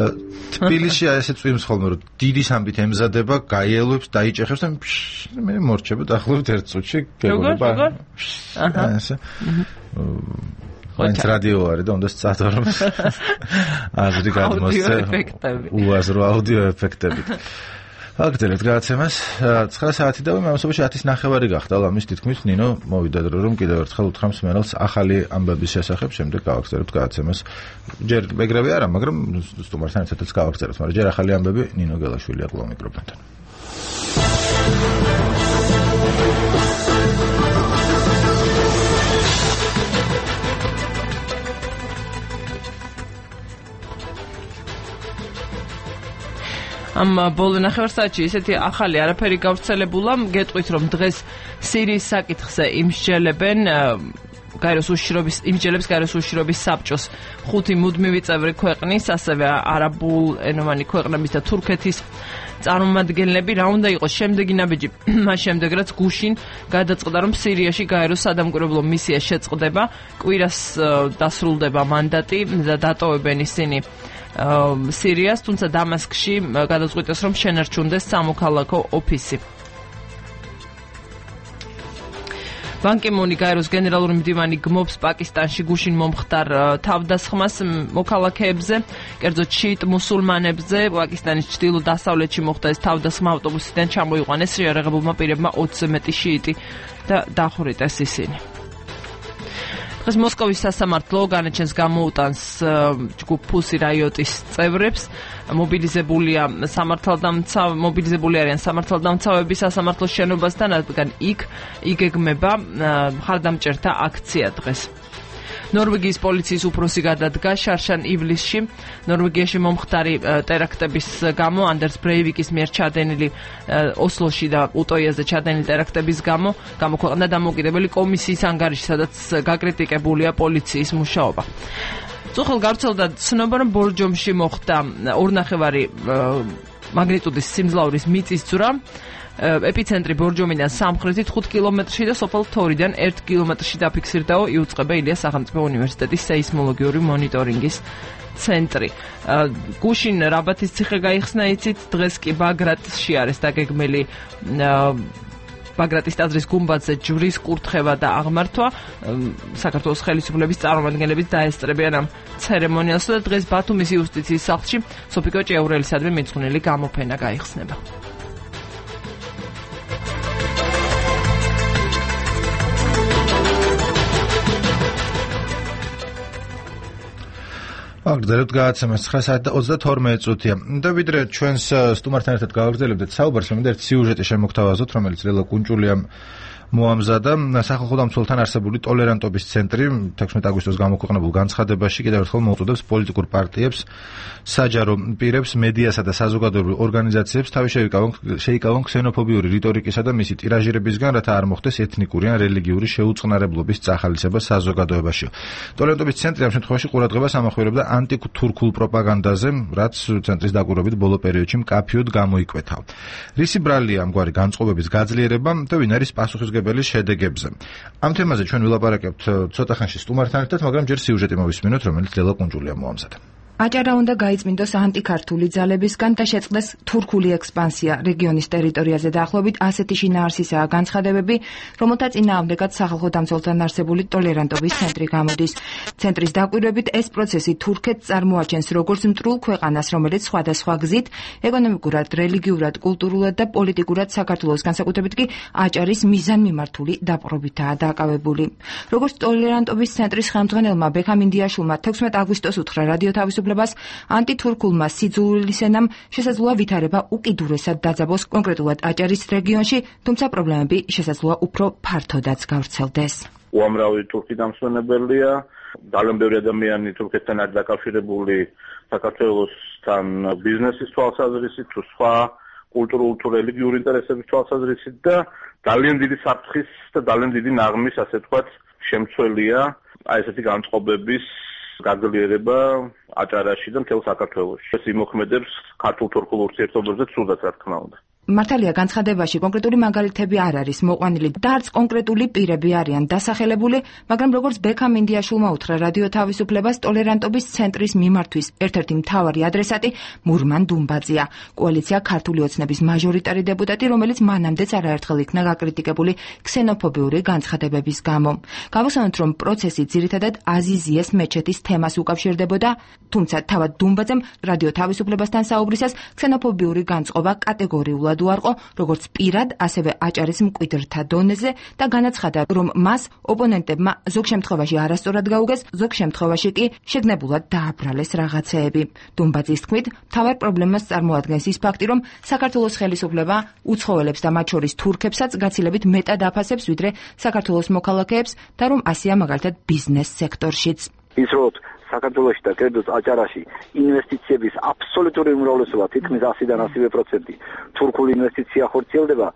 თბილისში ესე წვიმს ხოლმე რომ დიდი სამბით ემზადება, გაიელვებს, დაიჭეხებს და მე მორჩება დაახლოებით 1 წუთში გეგონება. აჰა. ესე. მაინც რადიო არის და უნდა სწადო რომ აზრი გადმოსცე. უაზრო აუდიო ეფექტებით. აგდელეთ გადაცემას 9 საათი და მე ამასობაში 10:09 გახდა ლამის თითქმის ნინო მოვიდა დრო რომ კიდევ ერთხელ უთხრამს მენელს ახალი ამბების შესახებ შემდეგ გავაგზავნებთ გადაცემას ჯერ მეგრები არა მაგრამ სტუმართან ერთადაც გავაგზავნებთ მაგრამ ჯერ ახალი ამბები ნინო გელაშვილი აკლა მიკროფონთან ამ ბოლო ნახევარსაათში ისეთი ახალი არაფერი გავრცელებულა, გეტყვით რომ დღეს სირიის საკითხზე იმსჯელებენ იმსჯელებს გაეროს უშიშროების საბჭოს 5 მუდმივი წევრი ქვეყნის, ასევე არაბულ ენოვანი ქვეყნების და თურქეთის წარმომადგენლები. რა უნდა იყოს შემდეგი ნაბიჯი? მას შემდეგ რაც გუშინ გადაწყდა რომ სირიაში გაეროს სადამკვირვებლო მისია შეწყდება, კვირას დასრულდება მანდატი და დატოვებენ ისინი სირიას, თუმცა დამასკში გადაწყვიტეს რომ შენარჩუნდეს სამოქალაქო ოფისი. ბან კი მუნი გაეროს გენერალური მდივანი გმობს პაკისტანში გუშინ მომხდარ თავდასხმას მოქალაქეებზე, კერძოდ შიიტ მუსულმანებზე. პაკისტანის ჩრდილო-დასავლეთში მოხდა ეს თავდასხმა, ავტობუსიდან ჩამოიყვანეს შეიარაღებულმა პირებმა 20-ზე მეტი შიიტი და დახვრიტეს ისინი. დღეს მოსკოვის სასამართლო განაჩენს გამოუტანს ჯგუფ ფუსი რაიოტის წევრებს. მობილიზებული არიან სამართალდამცავები სასამართლოს შენობასთან, რადგან იქ იგეგმება მხარდამჭერთა აქცია დღეს. ნორვეგიის პოლიციის უფროსი გადადგა შარშან ივლისში ნორვეგიაში მომხდარი ტერაქტების გამო, ანდერს ბრეივიკის მიერ ჩადენილი ოსლოში და უტოიაზე ჩადენილი ტერაქტების გამო გამოქვეყნდა დამოუკიდებელი კომისიის ანგარიში, სადაც გაკრიტიკებულია პოლიციის მუშაობა. წუხელ გავრცელდა ცნობა, რომ ბორჯომში მოხდა 2.5 მაგნიტუდის სიმძლავრის მიწისძვრა. ეპიცენტრი ბორჯომიდან სამხრეთით 5 კილომეტრში და სოფელ თორიდან 1 კილომეტრში დაფიქსირდაო, იუწყება ილიას სახელმწიფო უნივერსიტეტის სეისმოლოგიური მონიტორინგის ცენტრი. გუშინ რაბათის ციხე გაიხსნა, იცით, დღეს კი ბაგრატში არის დაგეგმილი ბაგრატის ტაძრის გუმბათზე ჯვრის კურთხევა და აღმართვა. საქართველოს ხელისუფლების წარმომადგენლები დაესწრებიან ამ ცერემონიალს და დღეს ბათუმის იუსტიციის სახლში სოფიკო ჭეურელისადმი მიძღვნილი გამოფენა გაიხსნება. აგდელოთ გადაცემას 9 საათი და 32 წუთია. და ვიდრე ჩვენს სტუმართან ერთად გავაგრძელებდეთ საუბარს, მინდა ერთი სიუჟეტი შემოგთავაზოთ, რომელიც ლელა კუნჭულიამ მოამზადა. სახალხო დამცველთან არსებული ტოლერანტობის ცენტრი 16 აგვისტოს გამოქვეყნებულ განცხადებაში კიდევ ერთხელ მოუწოდებს პოლიტიკურ პარტიებს, საჯარო პირებს, მედიასა და საზოგადოებრივ ორგანიზაციებს თავი შეიკავონ ქსენოფობიური რიტორიკისა და მისი ტირაჟირებისგან, რათა არ მოხდეს ეთნიკური ან რელიგიური შეუწყნარებლობის წახალისება საზოგადოებაში. ტოლერანტობის ცენტრი ამ შემთხვევაში ყურადღებას ამახვილებდა ანტიტურქულ პროპაგანდაზე, რაც ცენტრის დაკვირვებით ბოლო პერიოდში მკაფიოდ გამოიკვეთა. რისი ბრალია ამგვარი განწყობების გაძლიერება და ვინ არის პასუხისმგებელი შედეგებზე. ამ თემაზე ჩვენ ვილაპარაკებთ ცოტა ხანში სტუმართან ერთად, მაგრამ ჯერ სიუჟეტი მოვისმინოთ, რომელიც ლელა კუნჭულიამ მოამზადა. აჭარა უნდა გაიწმინდოს ანტიქართული ძალებისგან და შეწყდეს თურქული ექსპანსია რეგიონის ტერიტორიაზე. დაახლოებით ასეთი შინაარსისაა განცხადებები, რომელთა წინააღმდეგად სახალხო დამცველთან არსებული ტოლერანტობის ცენტრი გამოდის. ცენტრის დაკვირვებით ეს პროცესი თურქეთს წარმოაჩენს როგორც მტრულ ქვეყანას, რომელიც სხვადასხვა გზით ეკონომიკურად, რელიგიურად, კულტურულად და პოლიტიკურად საქართველოს, განსაკუთრებით კი აჭარის მიზანმიმართული დაპყრობითაა დაკავებული. როგორც ტოლერანტობის ცენტრის ხელმძღვანელმა ბექამ ინდიაშვილმა 16 აგვისტოს უთხრა რადიო თავისუფლებას, ანტითურქულმა სიძულვილისენამ შესაძლოა ვითარება უკიდურესად დაძაბოს კონკრეტულად აჭარის რეგიონში, თუმცა პრობლემები შესაძლოა უფრო ფართოდაც გავრცელდეს. უამრავი თურქი დამსვენებელია, ძალიან ბევრი ადამიანი თურქეთთან არის დაკავშირებული საქართველოსთან ბიზნესის თვალსაზრისით, თუ სხვა კულტურულ თუ რელიგიური ინტერესების თვალსაზრისით და ძალიან დიდი საფრთხის და ძალიან დიდი ნაღმის, ასე ვთქვათ, შემცველია აი ესეთი განწყობების გაძლიერება აჭარაში და მთელ საქართველოში. ეს იმოქმედებს ქართულ-თურქულ ურთიერთობებზე ცუდად, რა თქმა უნდა. მართალია განცხადებაში კონკრეტული მაგალითები არ არის მოყვანილი და არც კონკრეტული პირები არიან დასახელებული, მაგრამ როგორც ბექამ ინდიაშვილმა უთხრა რადიო თავისუფლებას, ტოლერანტობის ცენტრის მიმართვის ერთ-ერთი მთავარი ადრესატი მურმან დუმბაძეა, კოალიცია ქართული ოცნების მაჟორიტარი დეპუტატი, რომელიც მანამდეც არაერთხელ იქნა გაკრიტიკებული ქსენოფობიური განცხადებების გამო. Გავუსვენოთ, რომ პროცესი ძირითადად აზიზიეს მეჩეთის თემას უკავშირდებოდა, თუმცა თავად დუმბაძემ რადიო თავისუფლებასთან საუბრისას ქსენოფობიური განწყობა კატეგორიულად უარყო, როგორც პირად, ასევე აჭარის მკვიდრთა დონეზე და განაცხადა, რომ მას ოპონენტებმა ზოგ შემთხვევაში არასწორად გაუგეს, ზოგ შემთხვევაში კი შეგნებულად დააბრალეს რაღაცეები. დუმბაძის თქმით, მთავარ პრობლემას წარმოადგენს ის ფაქტი, რომ საქართველოს ხელისუფლება უცხოელებს და მათ შორის თურქებსაც გაცილებით მეტად აფასებს, ვიდრე საქართველოს მოქალაქეებს და რომ ასეა მაგალითად ბიზნეს სექტორშიც. ის რომ საქართველოში და კერძოდ აჭარაში ინვესტიციების აბსოლუტური უმრავლესობა თითქმის 100-დან 100% თურქული ინვესტიცია ხორციელდება,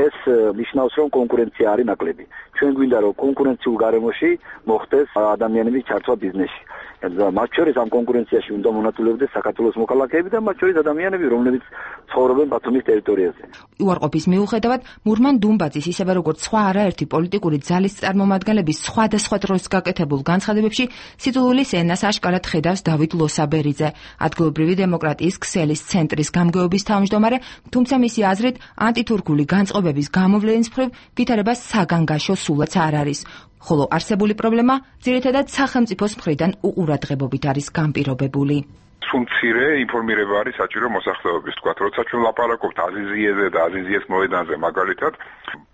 ეს ნიშნავს, რომ კონკურენცია არის ნაკლები. ჩვენ გვინდა, რომ კონკურენციულ გარემოში მოხდეს ადამიანების ჩართვა ბიზნესში. მათ შორის ამ კონკურენციაში უნდა მონაწილეობდეს საქართველოს მოქალაქეები და მათ შორის ადამიანები, რომლებიც ცხოვრობენ ბათუმის ტერიტორიაზე. უარყოფის მიუხედავად, მურმან დუმბაძის ისევე როგორც სხვა არაერთი პოლიტიკური ძალის წარმომადგენლების სხვადასხვა დროს გაკეთებულ განცხადებებში სიძულვილის ენას აშკარად ხედავს დავით ლოსაბერიძე, ადგილობრივი დემოკრატიის ქსელის ცენტრის გამგეობის თავმჯდომარე, თუმცა მისი აზრით ანტითურქული განწყობების გამოვლენის მხრივ ვითარება საგანგაშო სულაც არ არის. ხოლო არსებული პრობლემა ძირითადად სახელმწიფოს მხრიდან უყურადღებობით არის განპირობებული. მცირე ინფორმირება არის საჭირო მოსახლეობის, თქვა, როცა ჩვენ ლაპარაკობთ აზიზიეზე და აზიზიეს მოედანზე მაგალითად,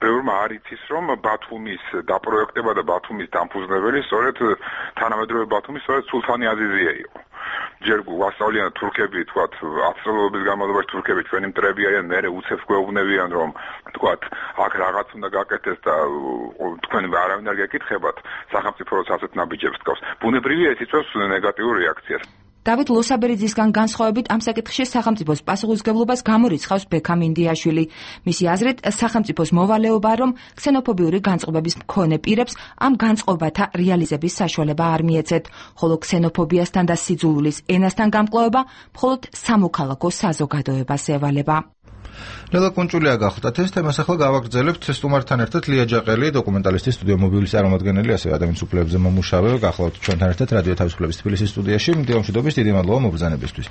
ბევრმა არ იცის, რომ ბათუმის დაპროექტება და ბათუმის დამფუძნებელი სწორედ თანამედროვე ბათუმის სწორედ სულთანი აზიზია იყო. ჯერ გვასწავლიან თურქები, თქვა, 10 წლების განმავლობაში თურქები ჩვენი მტრები არიან, მერე უცებ გვეუბნებიან, რომ თქვა, აქ რაღაც უნდა გაკეთდეს და თქვენ არავინ არ გეკითხებათ, სახელმწიფო როცა ასეთ ნაბიჯებს თქავს. ბუნებრივია ეს იწვევს ნეგატიურ რეაქციას. დავით ლოსაბერიძისგან განსხვავებით ამ საკითხში სახელმწიფოს პასუხისმგებლობას გამორიცხავს ბექამ ინდიაშვილი. მისი აზრით, სახელმწიფოს მოვალეობაა, რომ ქსენოფობიური განწყობების მქონე პირებს ამ განწყობათა რეალიზების საშუალება არ მიეცეთ, ხოლო ქსენოფობიასთან და სიძულვილის ენასთან გამკლავება მხოლოდ სამოქალაქო საზოგადოებას ევალება. ლელა კუნჭულია გახდათ ეს თემას, ახლა გავაგრძელებთ სტუმართან ერთად ლია ჯაყელი, დოკუმენტალისტი, სტუდიო მობილის წარმომადგენელი, ასევე ადამიანის უფლებებზე მომუშავე, გახლავთ ჩვენთან ერთად რადიო თავისუფლების თბილისის სტუდიაში. მდიამშვიდობის, დიდი მადლობა მობრძანებისთვის.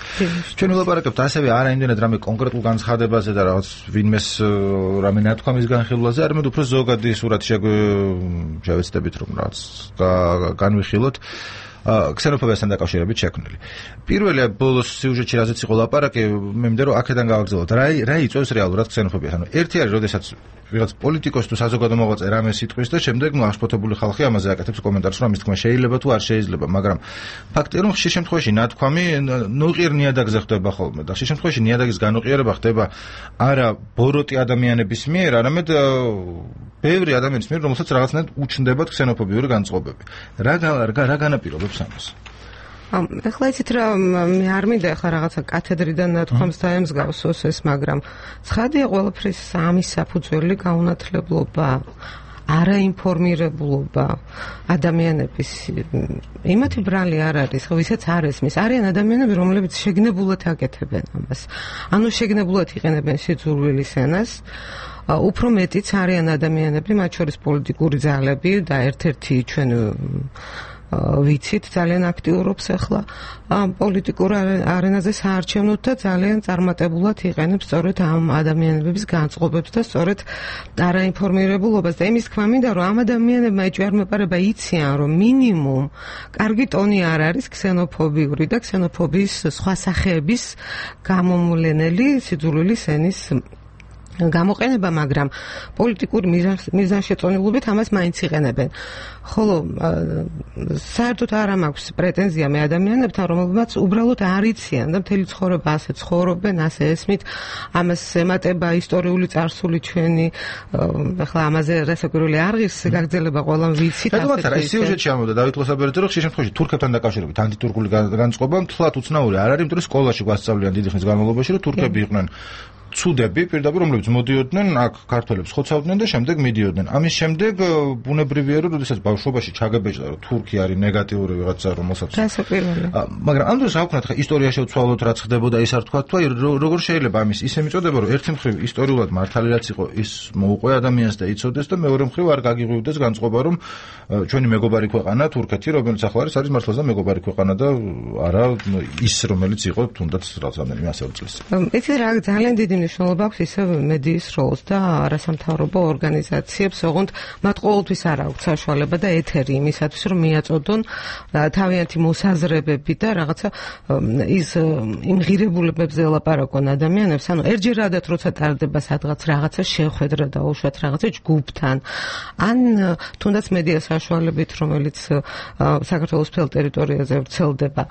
ჩვენ ვილაპარაკებთ ასევე არა იმდენად რამე კონკრეტულ განცხადებაზე და რაღაც ვინმეს რამე ნათქვამის განხილვაზე, არამედ უფრო ზოგადი სურათი შევეცდებით, რომ რაღაც განვიხილოთ ქსენოფობიასთან დაკავშირებით შექმნილი. პირველი ბოლოს სიუჟეტში რაზეც იყო ლაპარაკი, მე მინდა რომ აქედან გავაგრძელოთ. რა იწვევს რეალურად ქსენოფობიას? ანუ ერთი არის, როდესაც ვიღაც პოლიტიკოსი თუ საზოგადო მოღვაწე რამე სიტყვის და შემდეგ აღშფოთებული ხალხი ამაზე აკეთებს კომენტარს, რომ ამის თქმა შეიძლება თუ არ შეიძლება, მაგრამ ფაქტია, რომ ხშირ შემთხვევაში ნათქვამი ნუყიერ ნიადაგზე ხდება ხოლმე და ხშირ შემთხვევაში ნიადაგის განუყიერება ხდება არა ბოროტი ადამიანების მიერ, არამედ ბევრი ადამიანის მიერ, რომელსაც რაღაცნაირად უჩნდებათ ქსენოფობიური განწყობები. რა განაპირობებს ამას? ეხლა იცით რა, მე არ მინდა ეხლა რაღაცა კათედრიდან ნათქვამს დაემსგავსოს ეს, მაგრამ ცხადია ყველაფრის ამის საფუძველი გაუნათლებლობა, არაინფორმირებულობა ადამიანების იმათი ბრალი არ არის, ხო, ვისაც არ ესმის. არიან ადამიანები, რომლებიც შეგნებულად აკეთებენ ამას. ანუ შეგნებულად იყენებენ სიძულვილის ენას. უფრო მეტიც არიან ადამიანები, მათ შორის პოლიტიკური ძალები და ერთ-ერთი ჩვენ ვიცით ძალიან აქტიურობს ახლა პოლიტიკურ არენაზე საარჩევნოდ და ძალიან წარმატებულად იყენებს სწორედ ამ ადამიანების განწყობებს და სწორედ არაინფორმირებულობას და იმის თქმა მინდა რომ ამ ადამიანებმა ეჭვმეპარება იციან რომ მინიმუმ კარგი ტონი არ არის ქსენოფობიური და ქსენოფობიის სხვა სახეების გამომვლენელი სიძულვილის ენის გამოყენება, მაგრამ პოლიტიკური მიზანშეწონილობით ამას მაინც იყენებენ. ხოლო საერთოდ არ მაქვს პრეტენზია მე ადამიანებთან, რომლებმაც უბრალოდ არ იციან და მთელი ცხოვრება ასე ცხოვრობენ, ასე ესმით, ამას ემატება ისტორიული წარსული ჩვენი, ახლა ამაზე რასაკვირველი არღის გაგრძელება ყველამ ვიცით. რა სიუჟეტში ამბობდა დავით ლოსაბერიძე, რომ ხშირ შემთხვევაში თურქებთან დაკავშირებით ანტიტურქული განწყობა მთლად უცნაური არ არის, იმიტომ რომ სკოლაში გვასწავლიან დიდი ხნის განმავლობაში, რომ თურქები იყვნენ ცუდები პირდაპირ რომლებიც მოდიოდნენ აქ ქართველებს ხოცავდნენ და შემდეგ მიდიოდნენ. ამის შემდეგ ბუნებრივია რომ როდესაც ბავშვობაში ჩაგებეჭდა რომ თურქი არის ნეგატიური ვიღაცა რომელსაც მაგრამ ამ დროს რა ვქნათ ხა ისტორიაში ვცვალოთ რაც ხდებოდა ის არ თქვა თუ როგორ შეიძლება ამის ისე მიწოდება რომ ერთი მხრივ ისტორიულად მართალი რაც იყო ის მოუყვე ადამიანს და იცოდეს და მეორე მხრივ არ გაგიღვივდეს განწყობა რომ ჩვენი მეგობარი ქვეყანა თურქეთი რომელიც ახლა არის მართლაც მეგობარი ქვეყანა და არა ის რომელიც იყო თუნდაც რამდენიმე ასეული წლის წინ. იცი რა ძალიან დიდი მნიშვნელობა აქვს ისე მედიის როლს და არასამთავრობო ორგანიზაციებს, ოღონდ მათ ყოველთვის არ აქვთ საშუალება და ეთერი იმისათვის, რომ მიაწოდონ თავიანთი მოსაზრებები და რაღაცა ის იმ ღირებულებებზე ელაპარაკონ ადამიანებს, ანუ ერთჯერადად როცა ტარდება სადღაც რაღაცა შეხვედრა და უშუალოდ რაღაცა ჯგუფთან, ან თუნდაც მედია საშუალებით, რომელიც საქართველოს მთელ ტერიტორიაზე ვრცელდება.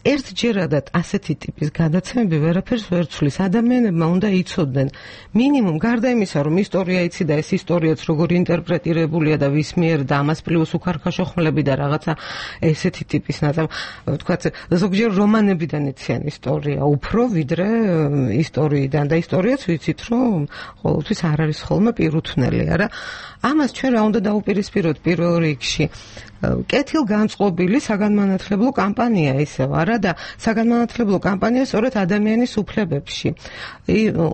ერთჯერადად ასეთი ტიპის გადაცემები ვერაფერს ვერ ცვლის. ადამიანებმა უნდა იცოდნენ მინიმუმ გარდა იმისა, რომ ისტორია იცი და ეს ისტორიაც როგორ ინტერპრეტირებულია და ვის მიერ და ამას პლუს უქარქაშო ხმლები და რაღაცა ესეთი ტიპის ვთქვათ, ზოგჯერ რომანებიდან იციან ისტორია უფრო ვიდრე ისტორიიდან და ისტორიაც ვიცით, რომ ყოველთვის არ არის ხოლმე პირუთვნელი, არა? ამას ჩვენ რა უნდა დაუპირისპიროთ პირველ რიგში? კეთილგანწყობილი საგანმანათლებლო კამპანია ისევ არა და საგანმანათლებლო კამპანია სწორედ ადამიანის უფლებებში.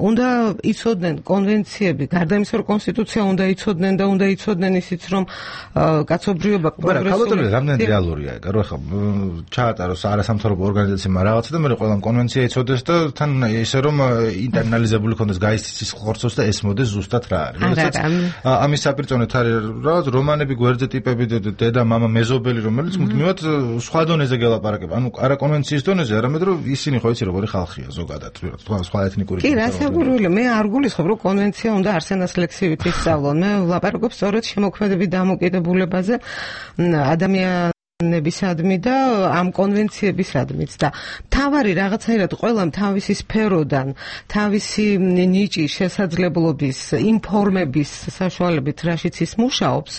უნდა იცოდნენ კონვენციები, გარდა იმისა, რომ კონსტიტუცია უნდა იცოდნენ და უნდა იცოდნენ ისიც, რომ კაცობრიობა პროგრესული. რამდენი რეალურია ეგ, რომ ახლა ჩაატაროს არასამთავრობო ორგანიზაციებმა რაღაცა და მე ყველამ კონვენცია იცოდეს და თან ისე რომ ინტერნალიზებული ქონდეს გაიცის ხორცოს და ესმოდეს ზუსტად რა არის. ამის საპირწონეთ არის რაღაც რომანები, გვერდზე ტიპები დედა მამა მეზობელი რომელიც მუდმივად სხვა დონეზე გელაპარაკება. ანუ არა კონვენციის დონეზე, არამედ რომ ისინი ხო იცი როგორი ხალხია ზოგადად, სხვა ეთნიკური. კი, რასაკვირველია, მე არ გულისხმობ, რომ კონვენცია უნდა არსენას ლექსივით ისწავლონ. მე ვლაპარაკობ სწორედ შემოქმედებით დამოკიდებულებაზე ადამიანებისადმი და ამ კონვენციებისადმიც და თავარი რაღაცაირად ყველამ თავისი სფეროდან, თავისი ნიჭის შესაძლებლობის, ინფორმების საშუალებით რაშიც ის მუშაობს,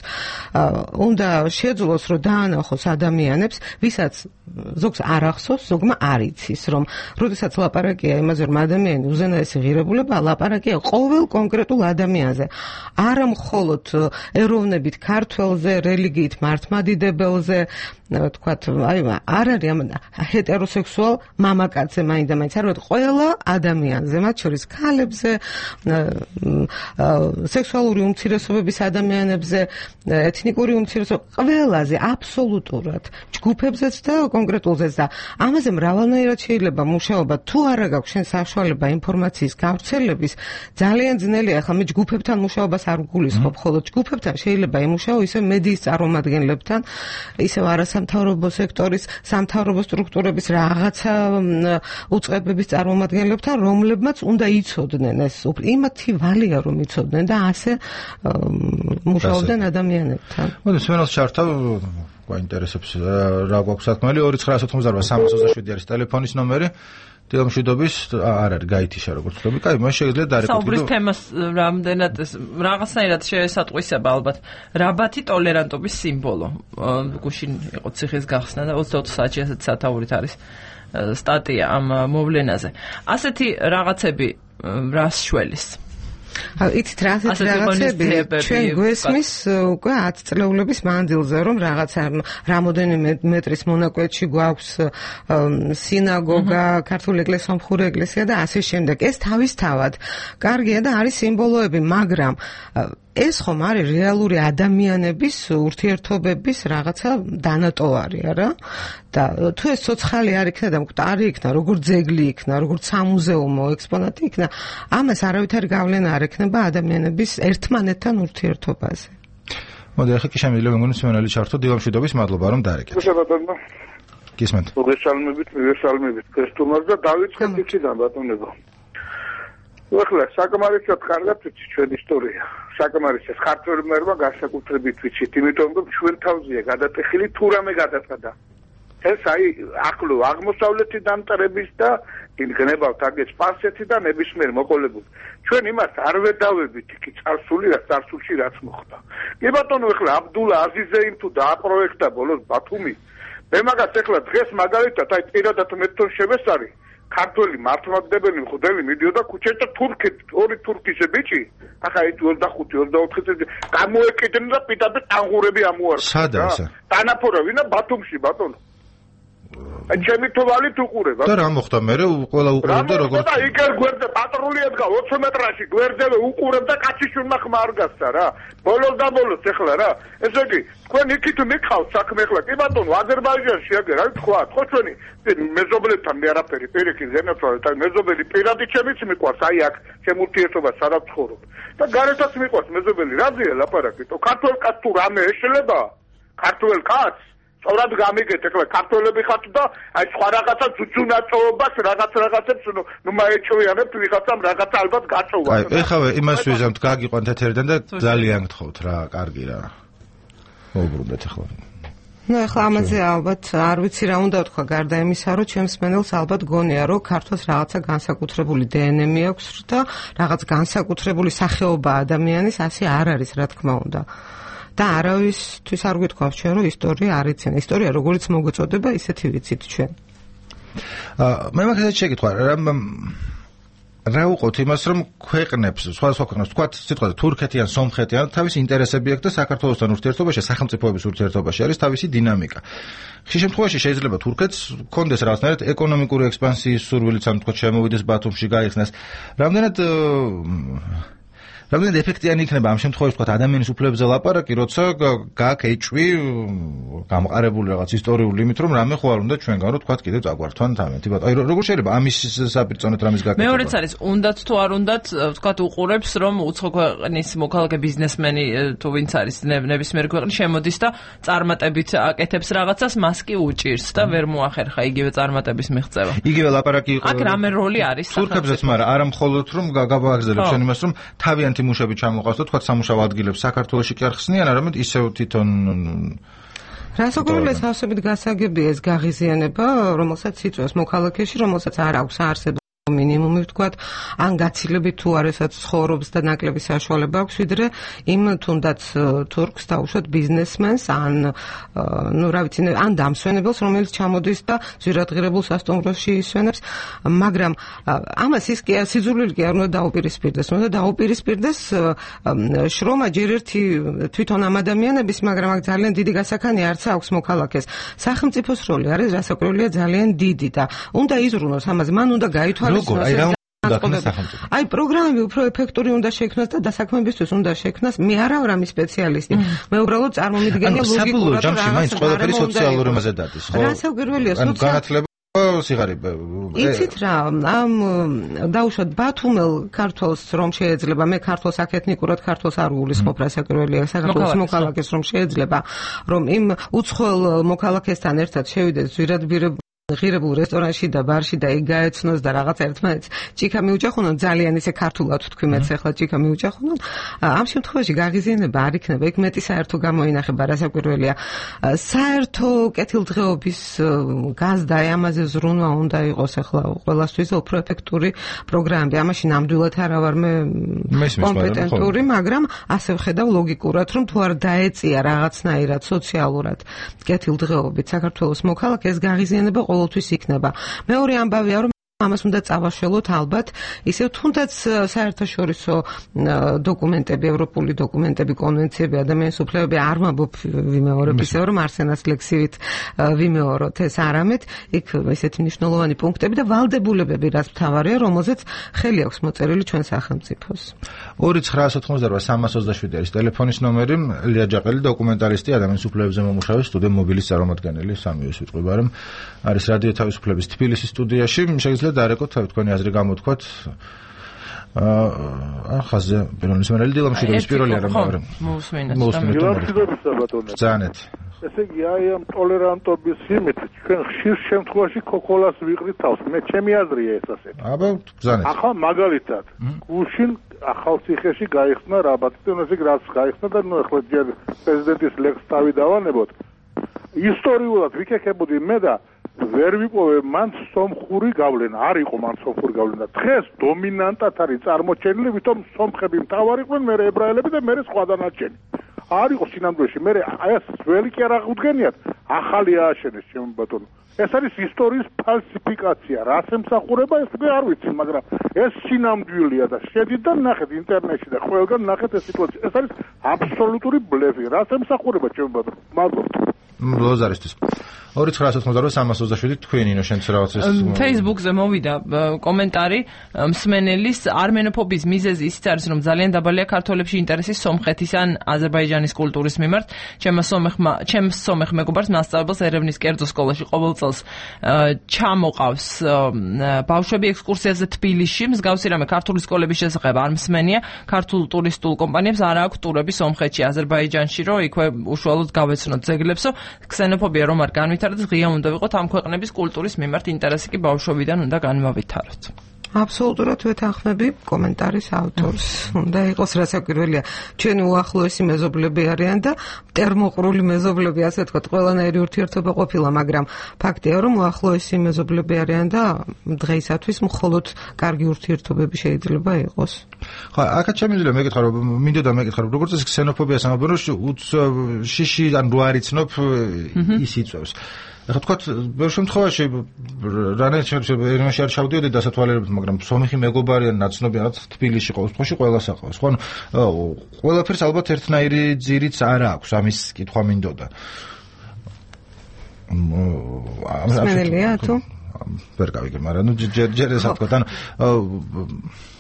უნდა შეძლოს, რომ დაანახოს ადამიანებს, ვისაც ზოგს არ ახსოვს, ზოგმა არ იცის, რომ როდესაც ლაპარაკია იმაზე, რომ ადამიანი უზენაესი ღირებულება, ლაპარაკია ყოველ კონკრეტულ ადამიანზე. არა მხოლოდ ეროვნებით ქართველზე, რელიგიით მართლმადიდებელზე, ვთქვათ, აი, არ არის ამ ჰეტეროსექსუალ მამაკაცზე მაინდა-მაინც, არა, ყველა ადამიანზე, მათ შორის ქალებზე, სექსუალური უმცირესობების ადამიანებზე, ეთნიკური უმცირესობების, ყველაზე, აბსოლუტურად, ჯგუფებზეც და კონკრეტულზეც და ამაზე მრავალნაირად შეიძლება მუშაობა. თუ არა გაქვს შენ საშუალება ინფორმაციის გავრცელების, ძალიან ძნელია. ახლა მე ჯგუფებთან მუშაობას არ გულისხმობ, ხოლო ჯგუფებთან შეიძლება იმუშაო ისე მედიის წარმომადგენლებთან, ისე არასამთავრობო სექტორის, სამთავრობო სტრუქტურების რაღაცა უწყებების წარმომადგენლებთან, რომლებმაც უნდა იცოდნენ ეს. იმათი ვალია რომ იცოდნენ და ასე მუშაობდნენ ადამიანებთან. მოდი სვენელს ჩართავ გვაინტერესებს რა გვაქვს საქმე 2988 არის ტელეფონის ნომერი დილამშვიდობის არ არის გაითიშა როგორც ვთქვი. კაი, მას შეიძლება დარეკოთ. საუბრის თემას რამდენად რაღაცნაირად შეესატყვისება ალბათ. რაბათი ტოლერანტობის სიმბოლო. გუშინ იყო ციხის გახსნა და 24 საათში ასეთ სათაურით არის სტატია ამ მოვლენაზე. ასეთი რაღაცები რას შველის? იცით რა ასეთი რაღაცები ჩვენ გვესმის უკვე 10 წლეულების მანძილზე რომ რაღაცა რამოდენიმე მეტრის მონაკვეთში გვაქვს სინაგოგა, ქართული ეკლესია, სომხური ეკლესია და ასე შემდეგ. ეს თავისთავად კარგია და არის სიმბოლოები, მაგრამ ეს ხომ არის რეალური ადამიანების ურთიერთობების რაღაცა დანატოვარი, არა? და თუ ეს ცოცხალი არ იქნა და მკვდარი იქნა, როგორც ძეგლი იქნა, როგორც სამუზეუმო ექსპონატი იქნა, ამას არავითარი გავლენა არ ექნება ადამიანების ერთმანეთთან ურთიერთობაზე. მოდი ახლა კი შემიძლია მეგონი სვენელი ჩართო დილამშვიდობის მადლობა რომ დარეკეთ. ბატონო. გისმენთ. მოგესალმებით ქრისტუმას და დავიწყეთ იქიდან ბატონებო. ახლა საკმარისად კარგად ვიცი ჩვენ ისტორია. საკმარისად ქართველებმა განსაკუთრებით ვიცით, იმიტომ რომ ჩვენ თავზეა გადატეხილი თუ რამე გადაწყვეტა. ეს აი ახლო აღმოსავლეთი დამტარების და გნებავთ აგე სპარსეთი და ნებისმიერ მოყოლებული. ჩვენ იმას არ ვედავებით იქ წარსულში რაც მოხდა. კი ბატონო, ახლა აბდულა აზიზეიმ თუ დააპროექტა ბოლოს ბათუმი. მე მაგას ახლა დღეს მაგალითად აი პირადად მე თვითონ შევესწარი ქართველი მართლმადიდებელი მღვდელი მიდიოდა ქუჩაში და ორი თურქის ბიჭი ახლა ეს 25-24 წელი გამოეკიდნენ და პიტაპი ტანღურები ამოარჩა. სადა ესა? დანაფორა ვინა ბათუმში ბატონო. ჩემი თვალი თუ ყურება. და რა მოხდა მე ყველა უყურებდა როგორც და იქერ გვერდზე პატრული ედგა 20 მეტრაში გვერდზე უყურებდა კაციშვილმა ხმა არ გასცა რა. ბოლოს და ბოლოს ეხლა რა. ესე იგი თქვენ იქით მიყავთ საქმე ეხლა კი ბატონო აზერბაიჯანში აგერ რა თქვა ხო ჩვენი მეზობლებთან მე არაფერი პირიქით ზენაცვალე და მეზობელი პირადი ჩემიც მიყვარს აი აქ ჩემ ურთიერთობას სადაც ცხოვრობ და გარეთაც მიყვარს მეზობელი რაზეა ლაპარაკი თო ქართველ კაცს თუ რამე ეშლება ქართველ კაცს სწორად გამიგეთ ეხლა ქართველები ხართ და აი სხვა რაღაცა ძუძუნაწოობას რაღაცებს ნუ მაეჭვიანებთ ვიღაცამ რაღაცა ალბათ გაწოვა აი ეხლა იმას ვიზამთ გაგიყვანთ ეთერიდან და ძალიან გთხოვთ რა კარგი რა მოუბრუნდეთ ეხლა ნუ ეხლა ამაზე ალბათ არ ვიცი რა უნდა ვთქვა გარდა იმისა რომ ჩემს მენელს ალბათ გონია რომ ქართლს რაღაცა განსაკუთრებული დნმ აქვს და რაღაც განსაკუთრებული სახეობა ადამიანის ასე არ არის რა თქმა უნდა და არავისთვის არ გვითხოვთ ჩვენ რომ ისტორია არ იციან ისტორია როგორიც მოგეწოდება ისეთი ვიცით ჩვენ მე მაგას შეგიტყვა რა უყოთ იმას რომ ქვეყნებს სხვადასხვა ქვეყნებს თქვა სიტყვაზე თურქეთი ან სომხეთი ან თავისი ინტერესები აქვს და საქართველოსთან ურთიერთობაში სახელმწიფოების ურთიერთობაში არის თავისი დინამიკა ხშირ შემთხვევაში შეიძლება თურქეთს კონდეს რაღაცნაირად ეკონომიკური ექსპანსიის სურვილიც ან თქვა შემოვიდეს ბათუმში გაიხსნას რამდენად ეფექტიანი იქნება ამ შემთხვევაში თქვა ადამიანის უფლებებზე ლაპარაკი, როცა გაქვს ეჭვი გამყარებული რაღაც ისტორიული იმით, რომ რამე ხო არ უნდა ჩვენგან რომ თქვა კიდევ წაგვართვან თამეთი. აი როგორ შეიძლება ამის საპირწონეთ რამის გაკეთება? მეორეც არის, უნდათ თუ არ უნდათ, თქვა უყურებს, რომ უცხო ქვეყნის მოქალაქე ბიზნესმენი თუ ვინც არის ნებისმიერ ქვეყნის შემოდის და წარმატებით აკეთებს რაღაცას, მას კი უჭირს და ვერ მოახერხა იგივე წარმატების მიღწევა. იგივე ლაპარაკი იყო. აქ რამე როლი არის? თურქებზეც, მაგრამ არა მხოლოდ რომ გავაგზავნებ შენ იმას, რომ თავიანთი მუშები ჩამოყავს და თქვა სამუშაო ადგილებს საქართველოში კი არ ხსნიან, არამედ ისევ თვითონ რასაკვირველია სავსებით გასაგებია ეს გაღიზიანება, რომელსაც იწვევს მოქალაქეში, რომელსაც არ აქვს არსებობა მინიმუმი ვთქვათ, ან გაცილებით თუ არასაც ცხოვრობს და ნაკლები საშუალება აქვს, ვიდრე იმ თუნდაც თურქს დაუშვათ ბიზნესმენს, ან ნუ რა ვიცი, ან დამსვენებელს, რომელიც ჩამოდის და ზვირადღირებულ სასტუმროში ისვენებს, მაგრამ ამას ის კი სიძულვილი კი არ უნდა დაუპირისპირდეს, უნდა დაუპირისპირდეს შრომა ჯერ ერთი თვითონ ამ ადამიანების, მაგრამ აქ ძალიან დიდი გასახანია არც აქვს მოქალაქეს. სახელმწიფოს როლი არის რასაკვირველია ძალიან დიდი და უნდა იზრუნოს ამაზე, მან უნდა გაითვალისწინოს აი პროგრამები უფრო ეფექტური უნდა შექმნას და დასაქმებისთვის უნდა შექმნას. მე არა ვარ ამის სპეციალისტი. მე უბრალოდ წარმომიდგენია ლოგიკურად რომ მაინც ყველაფერი სოციალური მასზე დადის, ხო? რასაკვირველია განათლება სიღარიბე. იცით რა, ამ დაუშვათ ბათუმელ ქართველს რომ შეიძლება, მე ქართველს აქ ეთნიკურად ქართველს არ გულისხმობ, რასაკვირველია საქართველოს მოქალაქეს რომ შეიძლება, რომ იმ უცხოელ მოქალაქესთან ერთად შევიდეს ზვირადღირებულ ღირებულ რესტორანში და ბარში და იქ გაეცნოს და რაღაც ერთმანეთს ჭიქა მიუჯახუნონ, ძალიან ისე ქართულად თქვი მეც ახლა ჭიქა მიუჯახუნონ. ამ შემთხვევაში გაღიზიანება არ იქნება, იქ მეტი საერთო გამოინახება, რასაკვირველია. საერთო კეთილდღეობის გაზდა ამაზე ზრუნვა უნდა იყოს ახლა ყველასთვის უფრო ეფექტური პროგრამები. ამაში ნამდვილად არა ვარ მე კომპეტენტური, მაგრამ ასე ვხედავ ლოგიკურად, რომ თუ არ დაეწია რაღაცნაირად სოციალურად კეთილდღეობით საქართველოს მოქალაქეს, გაღიზიანება ყოველთვის იქნება. მეორე ამბავია, რომ ამას უნდა წავაშველოთ ალბათ, ისევ თუნდაც საერთაშორისო დოკუმენტები, ევროპული დოკუმენტები, კონვენციები, ადამიანის უფლებები არ მაბობ ვიმეორებ, ისევ რომ არსენას ლექსივით ვიმეოროთ ეს არამედ, იქ ესეთი მნიშვნელოვანი პუნქტები და ვალდებულებები, რაც მთავარია, რომელზეც ხელი აქვს მოწერილი ჩვენ სახელმწიფოს. 2-988-327 არის ტელეფონის ნომერი, ლია ჯაყელი, დოკუმენტალისტი, ადამიანის უფლებებზე მომუშავე, სტუდია მობილის წარმომადგენელი, სამივე სიტყვება, რომ არის რადიო თავისუფლების თბილისის სტუდიაში, შეიძლება დარეკოთ თქვენი აზრი გამოთქვათ. ხაზე პირველი სმენელი დილამშვიდობის პირველი არა მაგრამ მოусმინეთ. ზანეთ. ესე იგი აი ამ ტოლერანტობის იმით ჩვენ ხშირ შემთხვევაში ქოქოლას ვიყრით თავს. მე ჩემი აზრია ეს ასე. აბა ზანეთ. ახლა მაგალითად გუშინ ახალციხეში გაიხსნა რაბატონზე რაც გაიხსნა და ნუ ახლა ჯერ პრეზიდენტის ლექსს დავიდავანებოთ. ისტორიულად ვიქექებოდი მე და ვერ ვიპოვე მან სომხური გავლენა, არ იყო მან სომხური გავლენა. დღეს დომინანტად არის წარმოჩენილი, ვითომ სომხები მთავარი იყვნენ, მე ებრაელები და მე სხვა დანარჩენი. არ იყო სინამდვილეში მე აი ეს ძველი კი არ აღუდგენიათ ახალი ააშენეს ჩემო ბატონო ეს არის ისტორიის ფალსიფიკაცია რას ემსახურება ეს უკვე არ ვიცი მაგრამ ეს სინამდვილეა და შედით და ნახეთ ინტერნეტში და ყველგან ნახეთ ეს სიტუაცია ეს არის აბსოლუტური ბლეფი რას ემსახურება ჩემო ბატონო მადლობა ლოზარისტის 2988 თქვენი ნინო შენც რაღაც ეს Facebook-ზე მოვიდა კომენტარი მსმენელის არმენოფობის მიზეზი ისიც არის რომ ძალიან დაბალია ქართველებში ინტერესი სომხეთის ან აზერბაიჯანის კულტურის მიმართ ჩემს სომეხ მეგობარს მასწავლებელს ერევნის კერძო სკოლაში ყოველ წელს ჩამოყავს ბავშვები ექსკურსიაზე თბილისში მსგავსი რამე ქართული სკოლების შესახებ არ მსმენია ქართულ ტურისტულ კომპანიებს არ აქვს ტურები სომხეთში აზერბაიჯანში რომ იქვე უშუალოდ გავეცნოთ ძეგლებსო ქსენოფობია რომ არ განვითარდეს ღია უნდა ვიყოთ ამ ქვეყნების კულტურის მიმართ ინტერესი კი ბავშვობიდან უნდა განმავითაროთ აბსოლუტურად ვეთანხმები კომენტარის ავტორს. უნდა იყოს რასაკვირველია. ჩვენი უახლოესი მეზობლები არიან და ტერმოყრული მეზობლები, ასე ვთქვათ, ყველანაირი ურთიერთობა ყოფილა, მაგრამ ფაქტია, რომ უახლოესი მეზობლები არიან და დღეისათვის მხოლოდ კარგი ურთიერთობები შეიძლება იყოს. ხო, აქაც შემიძლია მეკითხა, რომ მინდოდა მეკითხა, რომ როგორც ეს ქსენოფობიას ამბობენ, რომ შიში ან რო არ იცნობ ის იწევს. ახლა თქვათ, ბევრ შემთხვევაში რანაირად არ ჩავდიოდი დასათვალიერებლად, მაგრამ სომეხი მეგობარი ან ნაცნობი რაღაც თბილისში ყოველ შემთხვევაში ყველას აყავს. ხო, ყველაფერს ალბათ ერთნაირი ძირიც არ აქვს, ამის კითხვა მინდოდა. სმენელია თუ? ვერ გავიგე, მაგრამ ჯერ ესა თქვა,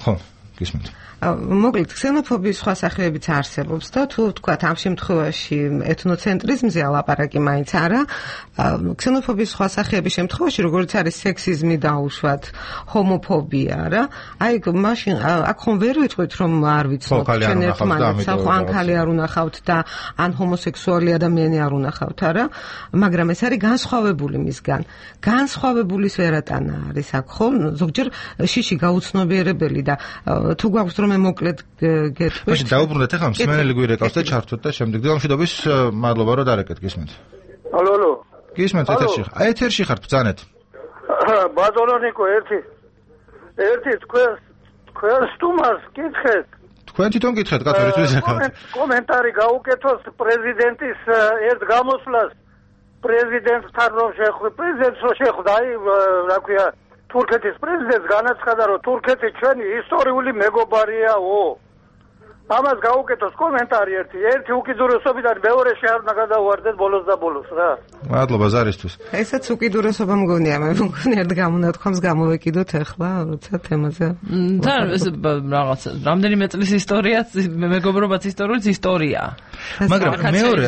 ხო, გისმენთ. მოკლედ ქსენოფობიის სხვა სახეებიც არსებობს და თუ ვთქვათ ამ შემთხვევაში ეთნოცენტრიზმზე ალაპარაკი მაინც არა ქსენოფობიის სხვა სახეების შემთხვევაში როგორც არის სექსიზმი და უშუალოდ ჰომოფობია რა აი მაშინ აქ ხომ ვერ ვიტყვით რომ არ ვიცნობ ჩვენ ერთმანეთს ან ხალი არ უნახავთ და ან ჰომოსექსუალი ადამიანი არ უნახავთ არა მაგრამ ეს არის განსხვავებული მისგან განსხვავებულის ვერატანა არის აქ ხო ზოგჯერ შიში გაუცნობიერებელი და თუ გვაქვს რომ მოკლედ გეტყვით. მაშინ დაუბრუნდეთ ახლა მსმენელი გვირეკავს და ჩართვით და შემდეგ დილამშვიდობის მადლობა რომ დარეკეთ გისმენთ. ალო ალო. გისმენთ ეთერში. აი ეთერში ხართ ბძანეთ. ბაზონონიკო ერთი თქვენ სტუმარს კითხეთ. თქვენ თვითონ კითხეთ კათოლიკ ვიზაკავთ. კომენტარი გაუკეთოს პრეზიდენტის ერთ გამოსვლას პრეზიდენტთან რომ პრეზიდენტს რო შეხვდა აი რა ქვია თურქეთის პრეზიდენტს განაცხადა რომ თურქეთი ჩვენი ისტორიული მეგობარიაო. ამას გაუკეთოს კომენტარი ერთი უკიდურესობიდან მეორეში არ უნდა გადავარდეთ ბოლოს და ბოლოს რა. მადლობა ზარისთვის. ესაც უკიდურესობა მგონია, მე მგონი ერთ გამონათქვამს გამოვეკიდოთ ახლა როცა თემაზე. და რაღაც რამდენიმე წლის ისტორიაც მეგობრობაც ისტორია. მაგრამ მეორე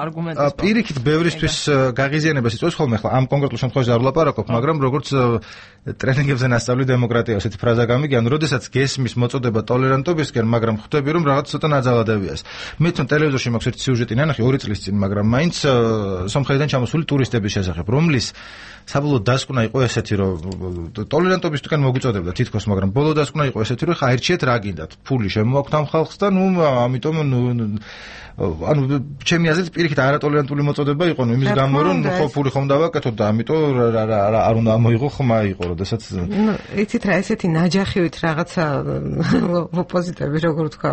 არგუმენტი პირიქით ბევრისთვის გაღიზიანებას იწვევს ხოლმე ახლა ამ კონკრეტულ შემთხვევაში არ ვლაპარაკობ, მაგრამ როგორც ტრენინგებზე ნასწავლი დემოკრატია ასეთი ფრაზა გამიგიან, როდესაც გესმის მოწოდება ტოლერანტობისკენ, მაგრამ ხვდები რომ რაღაც ცოტა ნაძალადებიას. მე თვითონ ტელევიზორში მაქვს ერთი სიუჟეტი ნანახი 2 წლის წინ, მაგრამ მაინც სომხეთიდან ჩამოსული ტურისტების შესახებ, რომლის საბოლოო დასკვნა იყო ესეთი, რომ ტოლერანტობისკენ მოგვიწოდებდა თითქოს, მაგრამ ბოლო დასკვნა იყო ესეთი, რომ ხა ერჩიეთ რა გინდათ, ფული შემოაქვთ ამ ხალხს და ამიტომ ანუ ჩემი აზრით პირიქით არატოლერანტული მოწოდება იყო, იმის გამო რომ ხო ფული ხომ დავაკეთოთ და ამიტომ არ უნდა მოიღო ხმა იყო, როდესაც იცით რა ესეთი ნაჯახივით რაღაცა ოპოზიტორები როგორ თქვა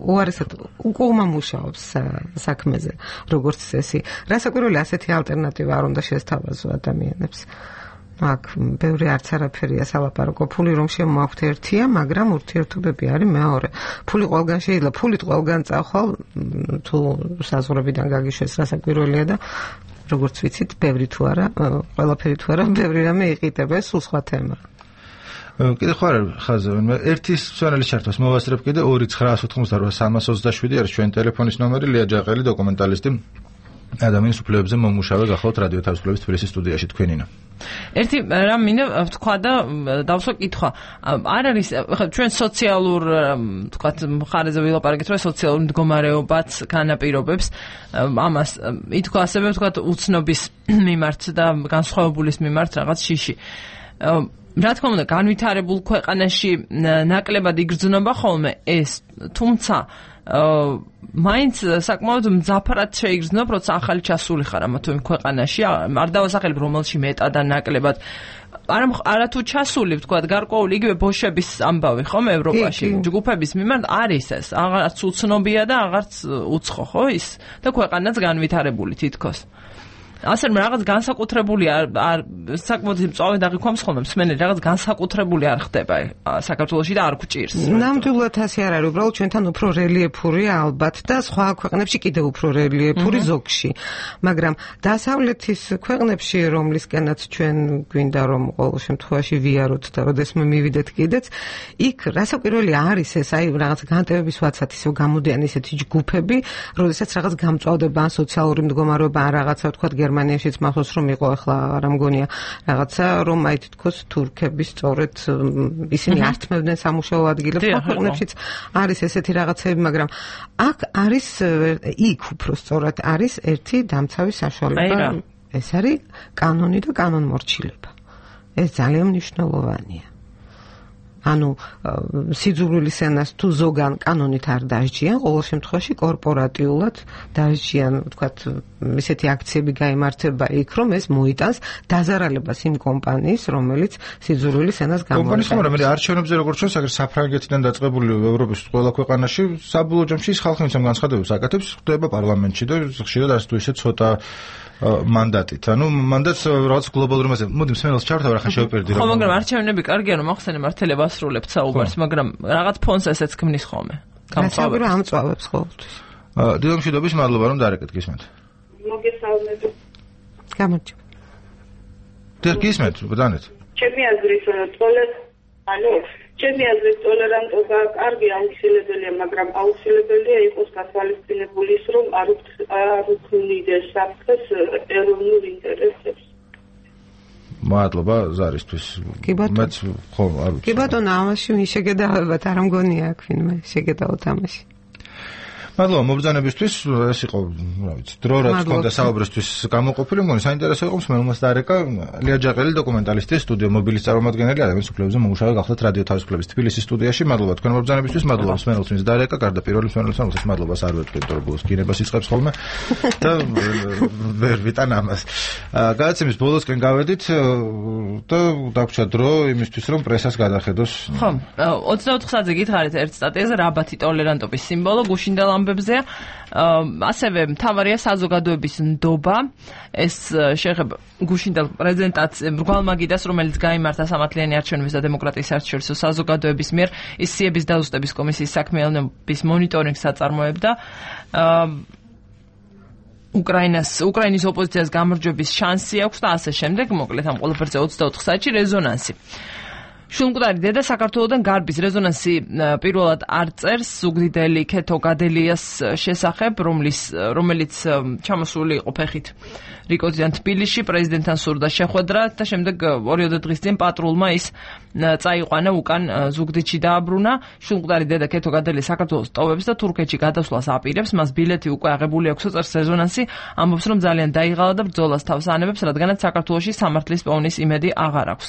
უარესად უკუღმა მუშაობს საქმეზე როგორც წესი. რასაკვირველია ასეთი ალტერნატივა არ უნდა შესთავაზო ადამიანებს. აქ ბევრი არც არაფერია სალაპარაკო ფული რომ შემოაქვთ ერთია, მაგრამ ურთიერთობები არის მეორე. ფული ყველგან შეიძლება, ფულით ყველგან წახვალ თუ საზღვრებიდან გაგიშვეს რასაკვირველია და როგორც ვიცით, ბევრი თუ არა, ყველაფერი თუ არა, ბევრი რამე იყიდება, სულ სხვა თემა. კიდე ხარ ხაზე ერთი სვენელის ჩართვას მოვასწრებ კიდე 2988327 არის ჩვენი ტელეფონის ნომერი ლია ჯაყელი დოკუმენტალისტი ადამიანის უფლებებზე მომუშავე გახლავთ რადიო თავისუფლების თბილისის სტუდიაში თქვენინა ერთი რამ მინდა ვთქვა და დავსვა კითხვა არ არის ჩვენ სოციალურ ვთქვათ მხარეზე ვილაპარაკეთ რომ სოციალურ მდგომარეობაც განაპირობებს ამას ითქვა ასევე ვთქვათ უცნობის მიმართ და განსხვავებულის მიმართ რაღაც შიში რა თქმა უნდა განვითარებულ ქვეყანაში ნაკლებად იგრძნობა ხოლმე ეს თუმცა მაინც საკმაოდ მძაფრად შეიგრძნობ, როცა ახალი ჩასული ხარ ამა თუ იმ ქვეყანაში, არ დავასახელებ რომელში მეტად ან ნაკლებად. არათუ ჩასული, ვთქვათ, გარკვეული იგივე ბოშების ამბავი, ხომ, ევროპაში, ჯგუფების მიმართ არის ეს, აღარც უცნობია და აღარც უცხო, ხო ის? და ქვეყანაც განვითარებული თითქოს. ასე რომ რაღაც განსაკუთრებული არ საკმაოდ მწვავე დაღიქვამს ხოლმე მსმენელი, რაღაც განსაკუთრებული არ ხდება საქართველოში და არ გვჭირს. ნამდვილად ასე არ არის, უბრალოდ ჩვენთან უფრო რელიეფურია ალბათ და სხვა ქვეყნებში კიდევ უფრო რელიეფური ზოგში. მაგრამ დასავლეთის ქვეყნებში, რომლისკენაც ჩვენ გვინდა რომ ყოველ შემთხვევაში ვიაროთ და როდესმე მივიდეთ კიდეც, იქ რასაკვირველი არის ეს, აი რაღაც განტევების ვაცად ისო გამოდიან ისეთი ჯგუფები, როდესაც რაღაც გამწვავდება ან სოციალური მდგომარეობა ან რაღაცა ვთქვათ გერმანიაშიც მახსოვს რომ იყო ახლა არ ამგონია რაღაცა რომ აი თითქოს თურქები სწორედ ისინი ართმევდნენ სამუშაო ადგილებს ქვეყნებშიც არის ესეთი რაღაცები მაგრამ აქ არის იქ უფრო სწორად არის ერთი დამცავი საშუალება ეს არის კანონი და კანონმორჩილება ეს ძალიან მნიშვნელოვანია ანუ სიძულვილის ენას თუ ზოგან კანონით არ დასჯიან, ყოველ შემთხვევაში კორპორატიულად დასჯიან, ვთქვათ, ისეთი აქციები გაიმართება იქ, რომ ეს მოიტანს დაზარალებას იმ კომპანიის, რომელიც სიძულვილის ენას გამოიყენება. კომპანიის, მაგრამ არჩევნებზე როგორც ჩვენ საკერ საფრანგეთიდან დაწყებული ევროპის ყველა ქვეყანაში საბოლოო ჯამში ის ხალხი ამ განცხადებებს აკეთებს, ხდება პარლამენტში და ხშირად არც თუ ისე ცოტა მანდატით. ანუ მანდატს რაღაც გლობალური მასე. მოდი მსმენელს ჩავთავ რა ხან შევპირდი რა. ხო, მაგრამ არჩევნები კარგია რომ ახსენე მართლება ასრულებთ საუბარს, მაგრამ რაღაც ფონს ესეც ქმნის ხოლმე. გამწვავებს. ამწვავებს ყოველთვის. დილომშვიდობის მადლობა რომ დარეკეთ გისმენთ. მოგესალმებით. გამარჯობა. გისმენთ, ბრძანეთ. ჩემი აზრით ჩემი აზრით ტოლერანტობა კარგი აუცილებელია, მაგრამ აუცილებელია იყოს გათვალისწინებული ის, რომ არ უქმნიდეს საფრთხეს ეროვნულ ინტერესებს. მადლობა ზარისთვის. მეც ხო არ ვიცი. კი ბატონო, ამაში ვინ შეგედავებათ, არ მგონია აქ ვინმე შეგედავოთ ამაში. მადლობა მობრძანებისთვის, ეს იყო, რა ვიცი, დრო რაც ქონდა საუბრისთვის გამოყოფილი, მგონი საინტერესო იყო მსმენელს დარეკა ლია ჯაყელი დოკუმენტალისტი სტუდიო მობილის წარმომადგენელი ადამიანის უფლებებზე მომუშავე გახლდათ რადიო თავისუფლების თბილისის სტუდიაში. მადლობა თქვენ მობრძანებისთვის, მადლობა მსმენელს ვინც დარეკა, გარდა პირველი მსმენელს, რომელსაც მადლობას არ ვეთქვით, რომ ბოლოს გინებას იწყებს ხოლმე და ვერ ვიტან ამას. გადაცემის ბოლოსკენ გავედით და დაგვრჩა დრო იმისთვის, რომ პრესას გადახედოს. ხო, 24 საათზე გითხარით ერთ სტატიაზე რაბათი ტოლერანტობის სიმბოლო გუშინდელ ამბებზეა. ასევე მთავარია საზოგადოების ნდობა. ეს შეეხება გუშინდელ პრეზენტაციას მრგვალმაგიდას, რომელიც გაიმართა სამართლიანი არჩევნების და დემოკრატიის საერთაშორისო საზოგადოების მიერ ის სიების დაზუსტების კომისიის საქმიანობის მონიტორინგს აწარმოებდა. უკრაინის ოპოზიციას გამარჯვების შანსი აქვს და ასე შემდეგ. მოკლედ ამ ყველაფერზე 24 საათში რეზონანსი. შულმკვდარი დედა საქართველოდან გარბის რეზონანსი პირველად არ წერს ზუგდიდელი ქეთო გადელიას შესახებ, რომელიც ჩამოსული იყო ფეხით რიკოზიდან თბილისში, პრეზიდენტთან სურდა შეხვედრა და შემდეგ 2 დღის წინ პატრულმა ის წაიყვანა უკან ზუგდიდში დააბრუნა. შულმკვდარი დედა ქეთო გადელია საქართველოს ტოვებს და თურქეთში გადასვლას აპირებს, მას ბილეთი უკვე აღებული აქვს, წერს რეზონანსი, ამბობს რომ ძალიან დაიღალა და ბრძოლას თავს ანებებს, რადგანაც საქართველოში სამართლის პოვნის იმედი აღარ აქვს.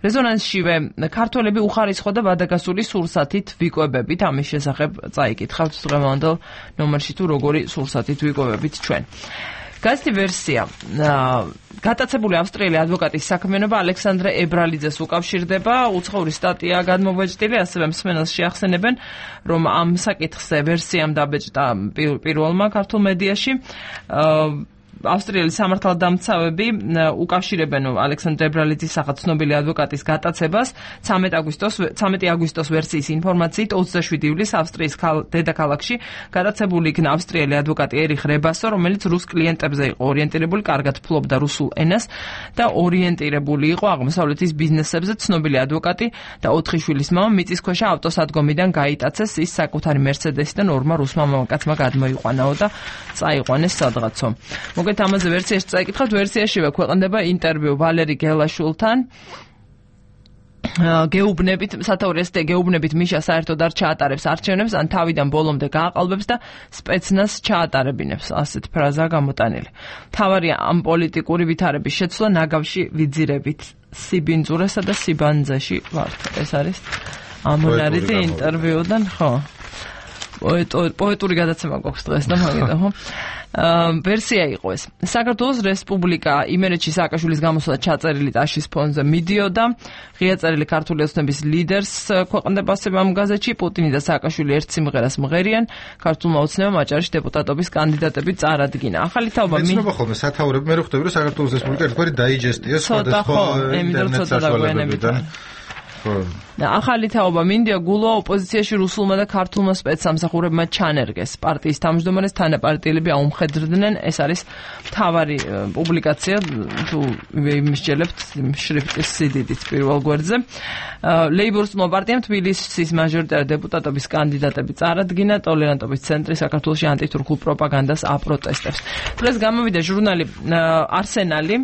რეზონანსშივე ქართველები უხარისხო და ვადაგასული სურსათით ვიკვებებით, ამის შესახებ წაიკითხავთ დღევანდელ ნომერში თუ როგორი სურსათით ვიკვებებით ჩვენ. გაზეთი ვერსია. გატაცებული ავსტრიელი ადვოკატის საქმიანობა ალექსანდრე ებრალიძეს უკავშირდება, უცხოური სტატია გადმოვეჯდილი, ასევე მსმენელს შეახსენებენ, რომ ამ საკითხზე ვერსიამ დაბეჭდა პირველმა ქართულ მედიაში. ავსტრიელი სამართალდამცავები უკავშირებენ ალექსანდრე ებრალიძის სახით ცნობილი ადვოკატის გატაცებას 13 აგვისტოს ვერსიის ინფორმაციით 27 ივლისს ავსტრიის დედაქალაქში გატაცებული იქნა ავსტრიელი ადვოკატი ერიხ რებასო, რომელიც რუს კლიენტებზე იყო ორიენტირებული, კარგად ფლობდა რუსულ ენას და ორიენტირებული იყო აღმოსავლეთის ბიზნესებზე. ცნობილი ადვოკატი და 4 შვილის მამა მიწისქვეშა ავტოსადგომიდან გაიტაცეს, ის საკუთარი მერსედესიდან ორმა რუსმა მამაკაცმა გადმოიყვანაო და წაიყვანეს სადღაცო. ამაზე ვერსიაში წაიკითხავთ, ვერსიაშივე ქვეყნდება ინტერვიუ ვალერი გელაშვილთან. გეუბნებით, სათაურის გეუბნებით მიშა საერთოდ არ ჩაატარებს არჩევნებს, ან თავიდან ბოლომდე გააყალბებს და სპეცნაზ ჩაატარებინებს, ასეთ ფრაზა გამოტანილი. მთავარია ამ პოლიტიკური ვითარების შეცვლა ნაგავში ვიძირებით სიბინძურესა და სიბანძეში ვართ. ეს არის ამონარიძე ინტერვიუდან, ხო. პოეტური გადაცემა გვაქვს დღეს და მაგედა ხო? ვერსია იყო ეს. საქართველოს რესპუბლიკა იმერეთში სააკაშვილის გამოსვლა ჩაწერილი ტაშის ფონზე მიდიოდა. ღია წერილი ქართული ოცნების ლიდერს ქვეყნდება ასევე ამ გაზეთში. პუტინი და სააკაშვილი ერთ სიმღერას მღერიან. ქართულმა ოცნებამ აჭარაში დეპუტატობის კანდიდატები წარადგინა. ახალი თაობა მეცნობა ხოლმე სათაურები მე რო ხვდები რომ საქართველოს რესპუბლიკა ერთგვარი დაიჯესტია სხვადასხვა ინტერნეტ საშუალებებიდან. ახალი თაობა მინდია გულოა ოპოზიციაში რუსულმა და ქართულმა სპეცსამსახურებმა ჩანერგეს. პარტიის თავმჯდომარეს თანაპარტიელები აუმხედრდნენ. ეს არის მთავარი პუბლიკაცია თუ იმისჯელებთ შრიფტის სიდიდით პირველ გვერდზე. ლეიბორისტულმა პარტიამ თბილისის მაჟორიტარი დეპუტატობის კანდიდატები წარადგინა. ტოლერანტობის ცენტრი საქართველოში ანტითურქულ პროპაგანდას აპროტესტებს. დღეს გამოვიდა ჟურნალი არსენალი.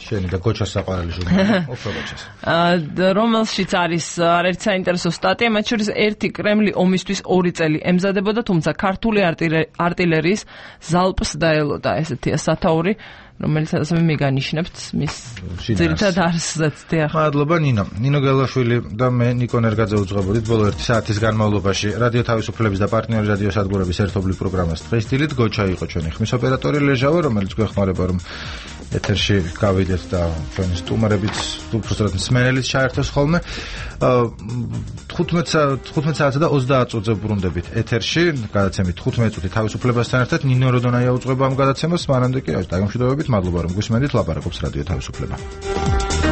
შენი და გოჩას საყვარელი ჟურნალი. ოფროგოჩას. რომელშიც არის არაერთი საინტერესო სტატია, მათ შორის ერთი კრემლი ომისთვის 2 წელი ემზადებოდა, თუმცა ქართული არტილერიის ზალპს დაელოდა, ესეთია სათაური, რომელიც ასევე მიგანიშნებთ მის ძირითად არსზეც. მადლობა ნინო. ნინო გელაშვილი და მე ნიკო ნერგაძე უძღვებოდით ბოლო 1 საათის განმავლობაში რადიო თავისუფლების და პარტნიორი რადიო სადგურების ერთობლივ პროგრამას დღეს დილით გოჩა იყო ჩვენი ხმის ოპერატორი ლეჟავა, რომელიც გვეხმარება რომ ეთერში გავიდეთ და ჩვენი სტუმრებიც უბრალოდ მსმენელიც ჩაერთოს ხოლმე 15 საათსა და 30 წუთზე ბრუნდებით ეთერში გადაცემით 15 წუთი თავისუფლებასთან ერთად ნინო როდონაია უძღვება ამ გადაცემას მანამდე კი დაგემშვიდობებით მადლობა რომ გვისმენდით ლაპარაკობს რადიო თავისუფლება.